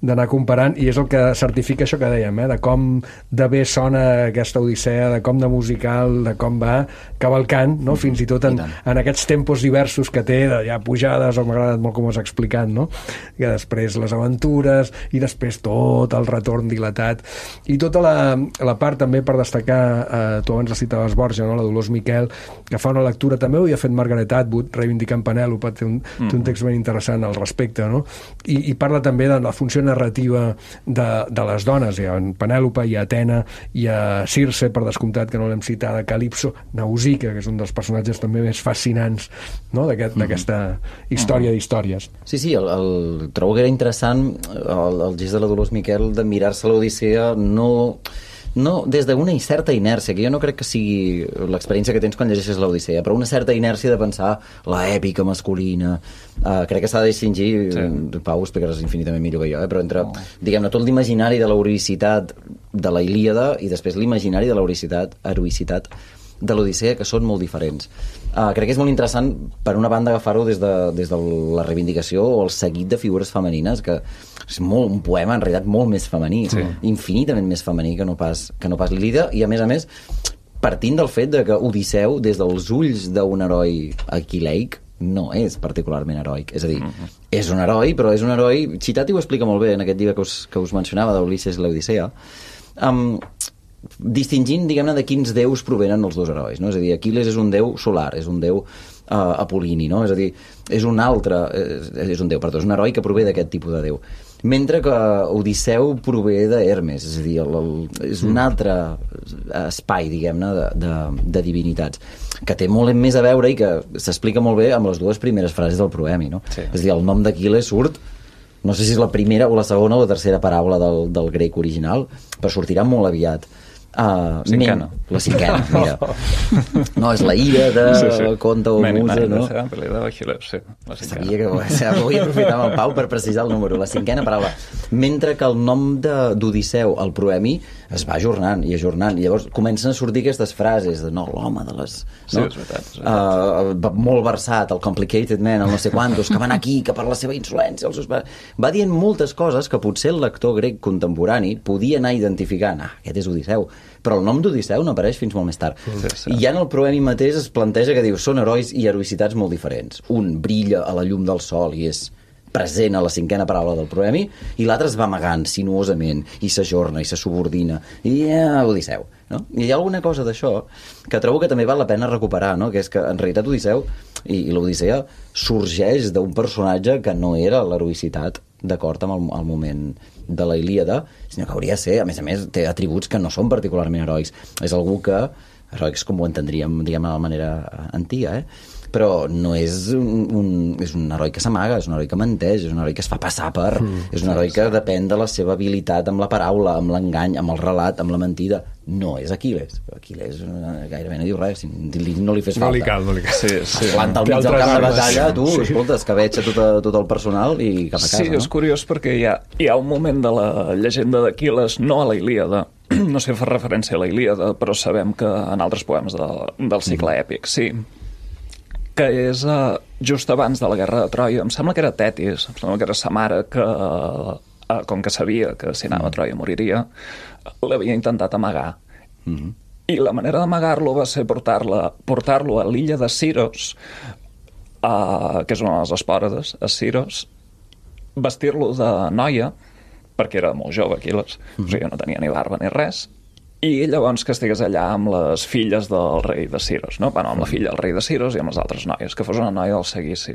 d'anar comparant, i és el que certifica això que dèiem, de com de bé sona aquesta Odissea, de com de musical, de com va cavalcant, no? Fins i tot en aquests tempos diversos que té, ja pujades, o m'ha agradat molt com ho has explicat, no? Que després les aventures i després tot el retorn dilatat i tota la part també per destacar, tu abans la citaves Borja, no? La Dolors Miquel, que fa una lectura, també ho havia fet Margaret Atwood reivindicant Penèlope, té un text ben interessant al respecte, no? I parla també de la funció narrativa de les dones. Hi ha Penèlope, hi ha Atena, hi ha Circe, per descomptat que no l'hem citada, Calipso, Nausicaa, que és un dels personatges també més fascinants, no? D'aquesta història d'històries. Sí, trobo que era interessant el gest de la Dolors Miquel de mirar-se l'Odissea no des d'una certa inèrcia, que jo no crec que sigui l'experiència que tens quan llegeixes l'Odissea, però una certa inèrcia de pensar l'èpica masculina. Crec que s'ha de distingir, Pau, ho explicaràs infinitament millor que jo, però entre, diguem-ne, tot l'imaginari de l'heroïcitat de la Ilíada i després l'imaginari de l'heroïcitat de l'Odissea, que són molt diferents. Crec que és molt interessant, per una banda, agafar-ho des de la reivindicació o el seguit de figures femenines, que és un poema, en realitat, molt més femení, infinitament més femení que no pas l'Ilíada, i a més, partint del fet de que Odisseu, des dels ulls d'un heroi aquileic, no és particularment heroic. És a dir, és un heroi, però és un heroi... Citati ho explica molt bé en aquest llibre que us mencionava, d'Ulisses i l'Odissea, distingint, diguem-ne, de quins déus provenen els dos herois, no? És a dir, Aquil·les és un déu solar, és un déu apol·lini, no? És a dir, és un heroi que prové d'aquest tipus de déu. Mentre que Odisseu prové d'Hermes, és a dir, és un altre espai, diguem-ne, de divinitats, que té molt més a veure i que s'explica molt bé amb les dues primeres frases del proemi, no? És a dir, el nom d'Aquil·les surt, no sé si és la primera o la segona o la tercera paraula del grec original, però sortirà molt aviat. Cinquena. La cinquena, mira. No, és la ira de conte o musa, no? Sabia que vull aprofitar amb el Pau per precisar el número, la cinquena paraula. Mentre que el nom d'Odisseu, el proemi, es va ajornant, i llavors comencen a sortir aquestes frases de l'home de les... Sí, és veritat. Molt versat, el complicated man, el no sé quantos, que van aquí, que per la seva insolència va dient moltes coses que potser el lector grec contemporani podia anar identificant. Aquest és Odisseu, però el nom d'Odisseu no apareix fins molt més tard. I ja en el proemi mateix es planteja que diu, són herois i heroïcitats molt diferents. Un brilla a la llum del sol i és present a la cinquena paraula del proemi, i l'altre es va amagant sinuosament i s'ajorna i se subordina, i Odisseu, no? I hi ha alguna cosa d'això que trobo que també val la pena recuperar, no? Que és que en realitat Odisseu i l'Odissea sorgeix d'un personatge que no era l'heroïcitat d'acord amb el moment de la Ilíada, sinó que hauria de ser, a més, té atributs que no són particularment heroics. És algú que, heroics com ho entendríem, diguem, de la manera antiga, però no és un heroi que s'amaga, és un heroi que menteix, és un heroi que es fa passar per... és un heroi que depèn de la seva habilitat amb la paraula, amb l'engany, amb el relat, amb la mentida. No és Aquil·les. Aquil·les gairebé no diu res, no li fes falta. No li cal. Sí. Planta al mig del camp de batalla, escolta, escabetxa tot el personal i cap a casa. Sí, és curiós perquè hi ha un moment de la llegenda d'Aquil·les, no a la Ilíada, no sé, fa referència a la Ilíada, però sabem que en altres poemes del cicle èpic, sí, que és just abans de la guerra de Troia. Em sembla que era Tetis, em sembla que era sa mare que, com que sabia que si anava a Troia moriria, l'havia intentat amagar. I la manera d'amagar-lo va ser portar-lo a l'illa de Siros, que és una de les Espòrades, a Siros, vestir-lo de noia, perquè era molt jove, Aquil·les, o sigui, no tenia ni barba ni res, i llavors que estigués allà amb les filles del rei de Siros, no? Bueno, amb la filla del rei de Siros i amb les altres noies, que fos una noia del seguici.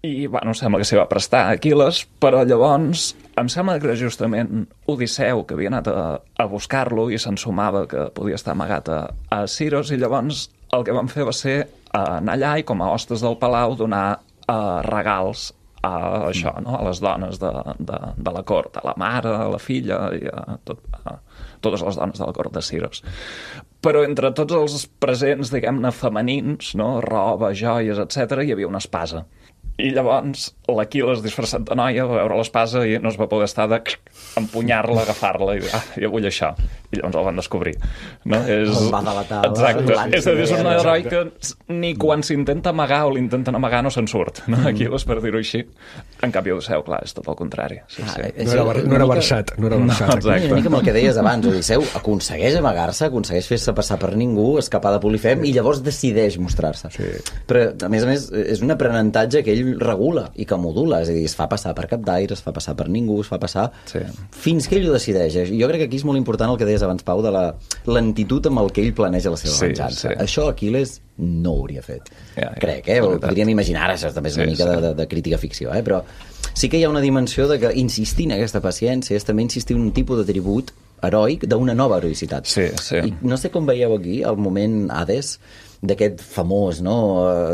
I, bueno, sembla que s'hi va prestar Aquil·les, però llavors em sembla que era justament Odisseu que havia anat a buscar-lo i s'ensumava que podia estar amagat a Siros, i llavors el que van fer va ser anar allà i com a hostes del palau donar regals a això, no? A les dones de la cort, a la mare, a la filla i a totes les dones de la cort de Siros. Però entre tots els presents, diguem-ne, femenins, no? Roba, joies, etc., hi havia una espasa. I llavors l'Aquil·les disfressat de noia va veure l'espasa i no es va poder estar d'empunyar-la, agafar-la i dir, jo vull això. I llavors el van descobrir. No? El va delatar. Exacte. És a dir, és un heroi que ni quan s'intenta amagar o l'intenten amagar no se'n surt. No? Aquil·les, per dir-ho així. En canvi, Odisseu, clar, és tot el contrari. Sí, sí. No era versat. No, exacte. Una mica amb el que deies abans, Odisseu aconsegueix amagar-se, aconsegueix fer-se passar per ningú, escapar de Polifem i llavors decideix mostrar-se. Sí. Però, a més, és un aprenentatge que ell regula i que modula, és a dir, es fa passar per capdaire, es fa passar per ningú, es fa passar fins que ell ho decideix. Jo crec que aquí és molt important el que deies abans, Pau, de la lentitud amb el que ell planeja la seva venjança. Això Aquiles no ho hauria fet. Crec, podríem imaginar, això també és una mica de crítica ficció, però sí que hi ha una dimensió de que insistir en aquesta paciència és també insistir en un tipus de tribut heroic d'una nova heroïcitat. I no sé com veieu aquí el moment Hades d'aquest famós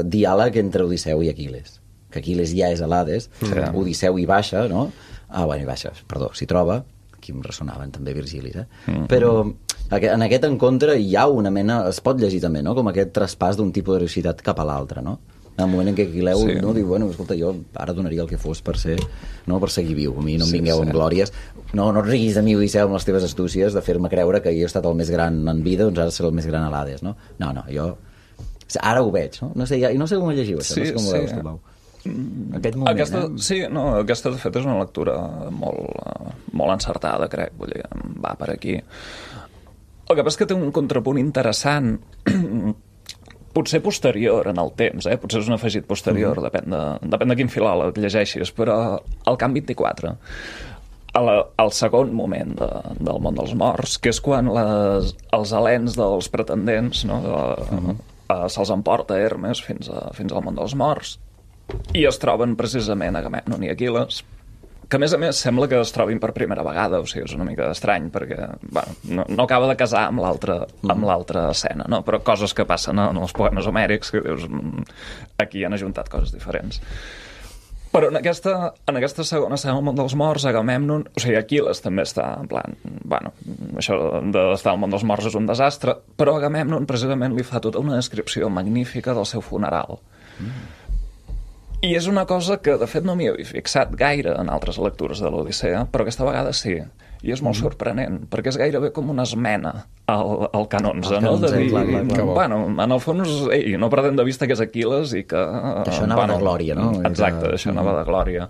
diàleg entre Odisseu i Aquiles, que Aquiles ja és a l'Hades, Odisseu hi baixa, no? S'hi troba, aquí em ressonaven també Virgilis, però en aquest encontre hi ha una mena, es pot llegir també, no? Com aquest traspàs d'un tipus d'heroïcitat cap a l'altre, no? En el moment en què Aquileu diu, bueno, escolta, jo ara donaria el que fos per seguir viu, a mi no em vingueu amb glòries, no et riguis de mi, Odisseu, amb les teves astúcies de fer-me creure que jo he estat el més gran en vida, doncs ara seré el més gran a l'Hades, no? No, jo ara ho veig, no? No sé com ho llegiu, això, no sé com ho veus, tu, Pau. Aquest moment, aquesta de fet és una lectura molt encertada, crec, vull dir, va per aquí. El que passa és que té un contrapunt interessant, potser posterior en el temps, potser és un afegit posterior, depèn de quin filòleg llegeixis, però al Camp 24, al segon moment del món dels morts, que és quan els helens dels pretendents se'ls emporta Hermes fins al món dels morts, i es troben precisament Agamèmnon i Aquil·les, que a més sembla que es trobin per primera vegada, o sigui, és una mica estrany perquè no acaba de casar amb l'altra escena, no? Però coses que passen en els poemes homèrics que dius, aquí han ajuntat coses diferents. Però en aquesta segona escena del món dels morts, Agamèmnon, o sigui, Aquil·les també està en plan, això d'estar al món dels morts és un desastre, però Agamèmnon precisament li fa tota una descripció magnífica del seu funeral. I és una cosa que, de fet, no m'hi havia fixat gaire en altres lectures de l'Odissea, però aquesta vegada sí. I és molt sorprenent, perquè és gairebé com una esmena al Can 11, no? De dir, en el fons, no perdem de vista que és Aquil·les i que... Això anava de glòria, no? Exacte, això anava de glòria.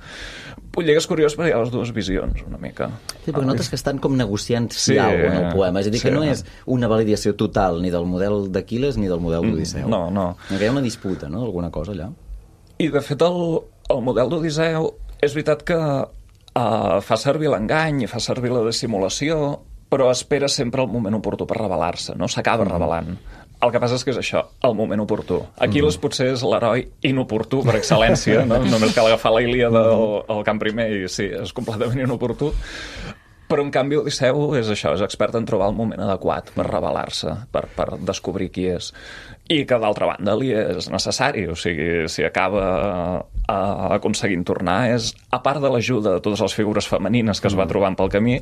Vull dir que és curiós perquè hi ha les dues visions, una mica. Sí, perquè notes que estan com negociant alguna en el poema. És a dir, que no és una validació total ni del model d'Aquil·les ni del model d'Odisseu. No. Hi ha una disputa, no?, d'alguna cosa allà. I, de fet, el model d'Odisseu és veritat que fa servir l'engany i fa servir la dissimulació, però espera sempre el moment oportú per rebel·lar-se, no? S'acaba rebel·lant. El que passa és que és això, el moment oportú. Aquil·les potser és l'heroi inoportú per excel·lència, no? Només cal agafar la Ilíada del Camp I i sí, és completament inoportú. Però, en canvi, Odisseu és això, és expert en trobar el moment adequat per rebel·lar-se, per descobrir qui és. I que, d'altra banda, li és necessari. O sigui, si acaba aconseguint tornar, és, a part de l'ajuda de totes les figures femenines que es va trobant pel camí,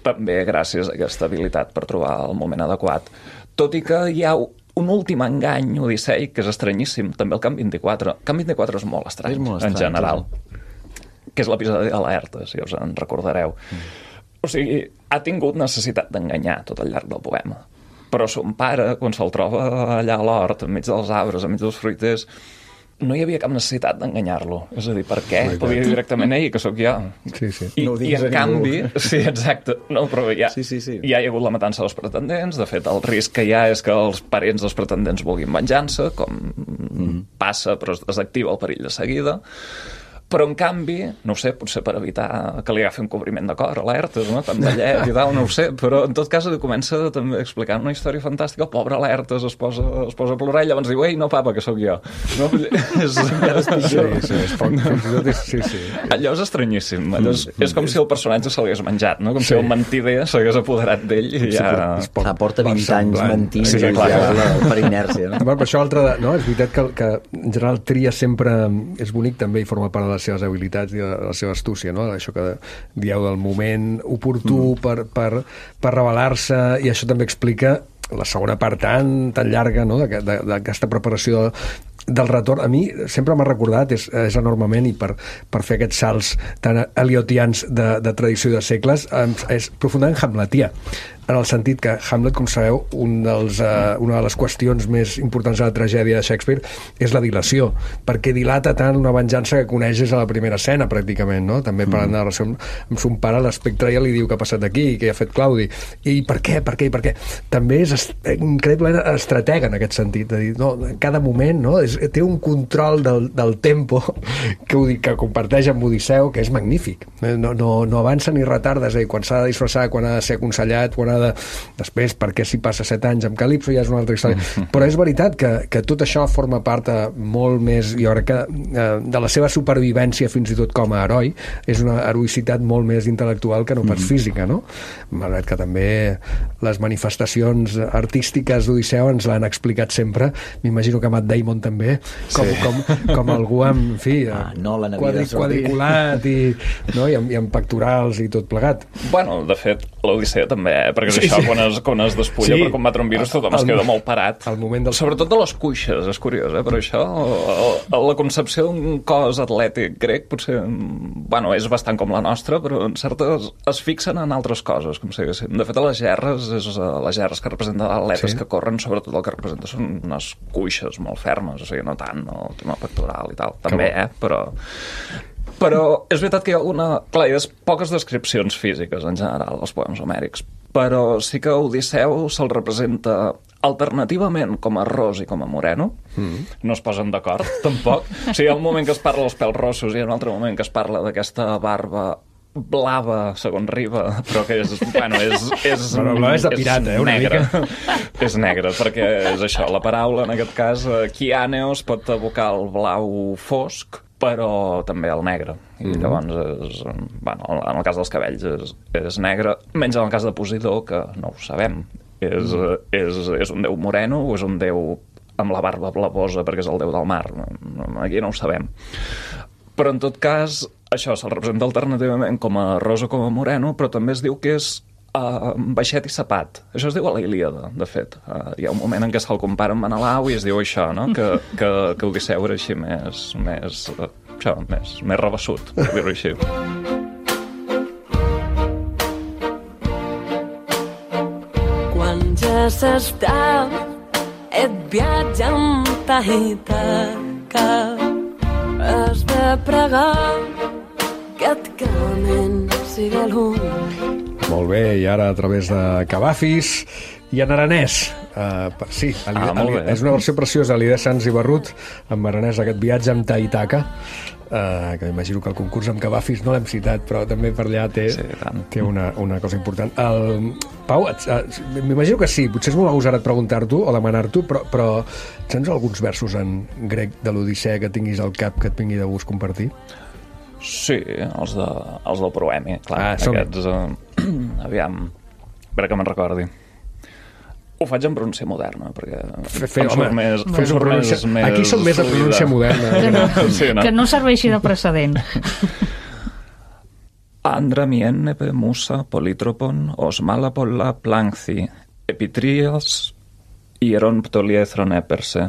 també gràcies a aquesta habilitat per trobar el moment adequat. Tot i que hi ha un últim engany odisseic que és estranyíssim, també el Camp 24. El Camp 24 és molt estrany, en general, que és l'episodi de l'Aerta, si us en recordareu. O sigui, ha tingut necessitat d'enganyar tot al llarg del poema. Però son pare, quan se'l troba allà a l'hort, enmig dels arbres, enmig dels fruiters, no hi havia cap necessitat d'enganyar-lo. És a dir, per què? Podia dir directament, que sóc jo. Sí. I en canvi... Sí, exacte. No, però ja hi ha hagut la matança dels pretendents. De fet, el risc que hi ha és que els parents dels pretendents vulguin venjança, com passa, però es desactiva el perill de seguida. Però, en canvi, no ho sé, potser per evitar que li agafi un cobriment de cor a l'Aertes, no? Tan vellet i tal, no ho sé, però en tot cas comença també explicant una història fantàstica. El pobre l'Aertes es posa a plorar i llavors diu, no, papa, que sóc jo. No? Allò és estranyíssim. És com si el personatge se l'hagués menjat, no? Com si el mentider s'hagués apoderat d'ell i ja... Porta 20 anys mentint per inèrcia. Per això, és veritat que en general tria sempre és bonic també i forma part de les seves habilitats i de la seva astúcia, no? Això que dieu del moment oportú per rebel·lar-se, i això també explica la segona part tan llarga, no? D'aquesta preparació del retorn, a mi sempre m'ha recordat, és enormement, i per fer aquests salts tan eliotians de tradició de segles, és profundament hamletià, en el sentit que Hamlet, com sabeu, una de les qüestions més importants de la tragèdia de Shakespeare és la dilació, perquè dilata tant una venjança que coneixes a la primera escena, pràcticament, no? També parlant de la relació amb son pare, l'espectre ja li diu què ha passat aquí, què ha fet Claudi, i per què? També és increïblement estratega en aquest sentit, de dir, no, en cada moment, no? Té un control del tempo que comparteix amb Odisseu, que és magnífic. No avança ni retarda, és a dir, quan s'ha de disfressar, quan ha de ser aconsellat, quan ha de... Després, perquè si passa 7 anys amb Calipso ja és una altra història. Però és veritat que tot això forma part molt més, jo crec que de la seva supervivència fins i tot com a heroi, és una heroïcitat molt més intel·lectual que no pas física, no? Malgrat que també les manifestacions artístiques d'Odisseu ens l'han explicat sempre, m'imagino que Matt Damon també, com algú amb, en fi, quadriculat i amb pectorals i tot plegat. Bueno, de fet, l'Odissea també, perquè és això, quan es despulla per combatre un virus, tothom es queda molt parat. Sobretot de les cuixes, és curiós, però això, la concepció d'un cos atlètic grec potser, bueno, és bastant com la nostra, però en certes es fixen en altres coses, com si diguéssim. De fet, a les gerres que representen atletes que corren, sobretot el que representa són unes cuixes molt fermes, o sigui, no tant el tema pectoral i tal, també, però és veritat que hi ha clar, hi ha poques descripcions físiques en general als poemes homèrics, però sí que Odisseu se'l representa alternativament com a ros i com a moreno. No es posen d'acord, tampoc. O sigui, hi ha un moment que es parla dels pèls rossos i hi ha un altre moment que es parla d'aquesta barba blava, segons Riba, però que és... Bueno, és blava és de pirata, una negra. mica. És negra, perquè és això, la paraula, en aquest cas, Kianeos pot evocar el blau fosc, però també el negre. I llavors, bueno, en el cas dels cabells és negre, menys en el cas de Posidó, que no ho sabem. És un déu moreno o és un déu amb la barba blavosa perquè és el déu del mar? Aquí no ho sabem. Però en tot cas, això se'l representa alternativament com a rosa o com a moreno, però també es diu que és baixet i sapat. Això es diu a la Ilíada, de fet. Hi ha un moment en què se'l compara amb Menelau i es diu això, no? Que Odisseu era així més rebassut, per dir-ho així. Quan ja s'està et viatja amb ta Ítaca, has de pregar que et camen siga l'un. Molt bé, i ara a través de Cavafis i en aranès. Sí, és una versió preciosa, l'Ida Sans i Barrut, en aranès, aquest viatge amb ta Ítaca, que imagino que el concurs amb Cavafis no l'hem citat, però també per allà té una cosa important. Pau, m'imagino que sí, potser és molt agosarat preguntar-t'ho o demanar-t'ho, però tens alguns versos en grec de l'Odissea que tinguis al cap que et vingui de gust compartir? Sí, els del Proemi, clar. Aquests, aviam, a veure que me'n recordi. Ho faig en pronúncia moderna, perquè... Aquí som més de pronúncia moderna. Que no serveixi de precedent. Andra miennepe musa politropon os malapolla planxi epitrias hieron ptoliethron eperse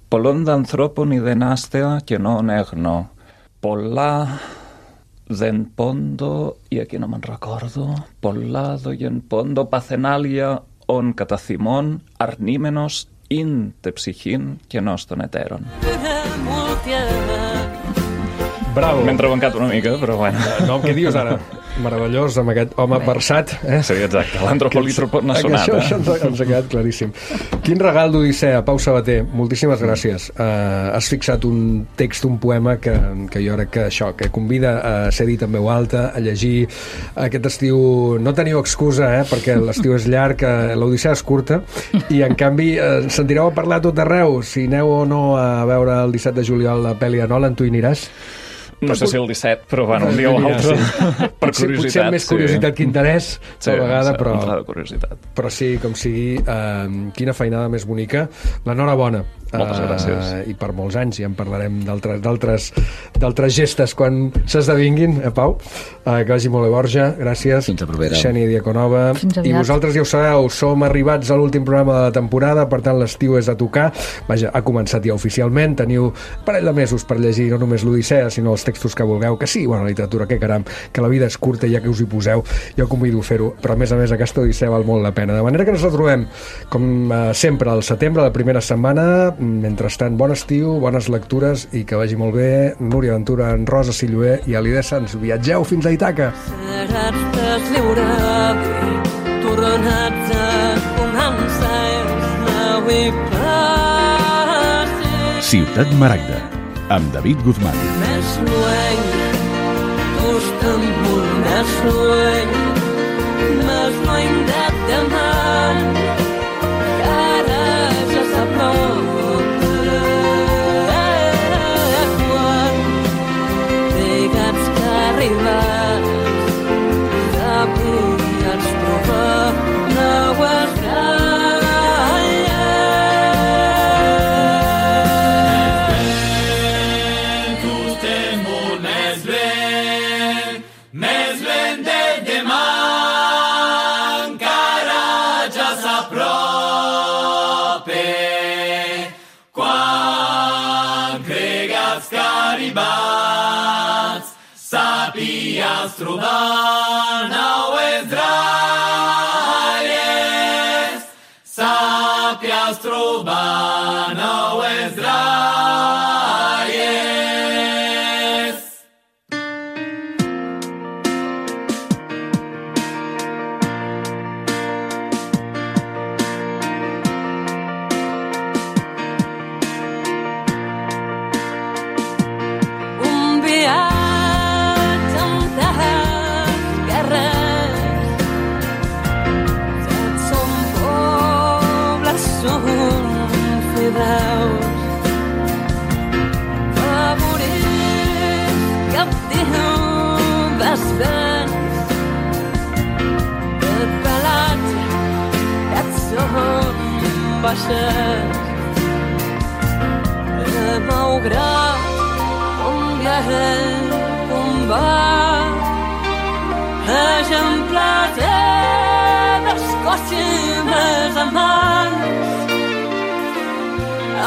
polon d'anthropon i denastea que no negno polla den pondo, i aquí no me'n recordo, pollado i en pondo pacenalia on catacimon arnímenos in tepsichin que noston eteron. Bravo. M'he entrebancat una mica, però bueno. No, què dius ara? Meravellós, amb aquest home versat. Sí, exacte, l'antropolítropon n'ha sonat. Això ens ha quedat claríssim. Quin regal d'Odissea, Pau Sabater, moltíssimes gràcies. Has fixat un text, un poema que jo crec que convida a ser dit en veu alta, a llegir aquest estiu. No teniu excusa, perquè l'estiu és llarg, l'Odissea és curta, i en canvi sentireu a parlar tot arreu. Si aneu o no a veure el 17 de juliol la pel·li de Nolan, tu hi aniràs? No sé si el 17, però bueno, un dia o l'altre, per curiositat. Potser més curiositat que interès, a la vegada, però... de curiositat. Però sí, com sigui, quina feinada més bonica. L'enhorabona. Moltes gràcies. I per molts anys, ja en parlarem d'altres gestes quan s'esdevinguin, Pau. Que vagi molt bé, Borja, gràcies. Fins a propera. Xènia Diaconova. I vosaltres ja ho sabeu, som arribats a l'últim programa de la temporada, per tant l'estiu és a tocar. Vaja, ha començat ja oficialment, teniu un parell de mesos per llegir no només l'Odissea, sinó els textos que vulgueu, que sí, bueno, la literatura, que caram, que la vida és curta, ja que us hi poseu, jo convido a fer-ho, però a més aquesta Odissea val molt la pena. De manera que ens retrobem, com sempre, al setembre, la primera setmana. Mentrestant, bon estiu, bones lectures i que vagi molt bé. Núria Ventura, en Rosa Silloé i Alida Sans. Viatgeu fins a Ítaca. Seràs deslliurada, tornats a començar els nou i passes. Ciutat Maragda, amb David Guzmán. Més lluny, Istanbul, més lluny de demà, que ara ja s'apropa. Quan digues que arribes, sabies trobar noves sapies trobar noves dralles, sapies trobar noves dralles. Un viatge favorits captiu dels vents del pelatge et són baixes malgrat un viatge combat exemplars d'Escòcia més amants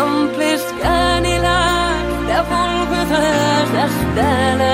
amplis canilats de volgudes d'esteles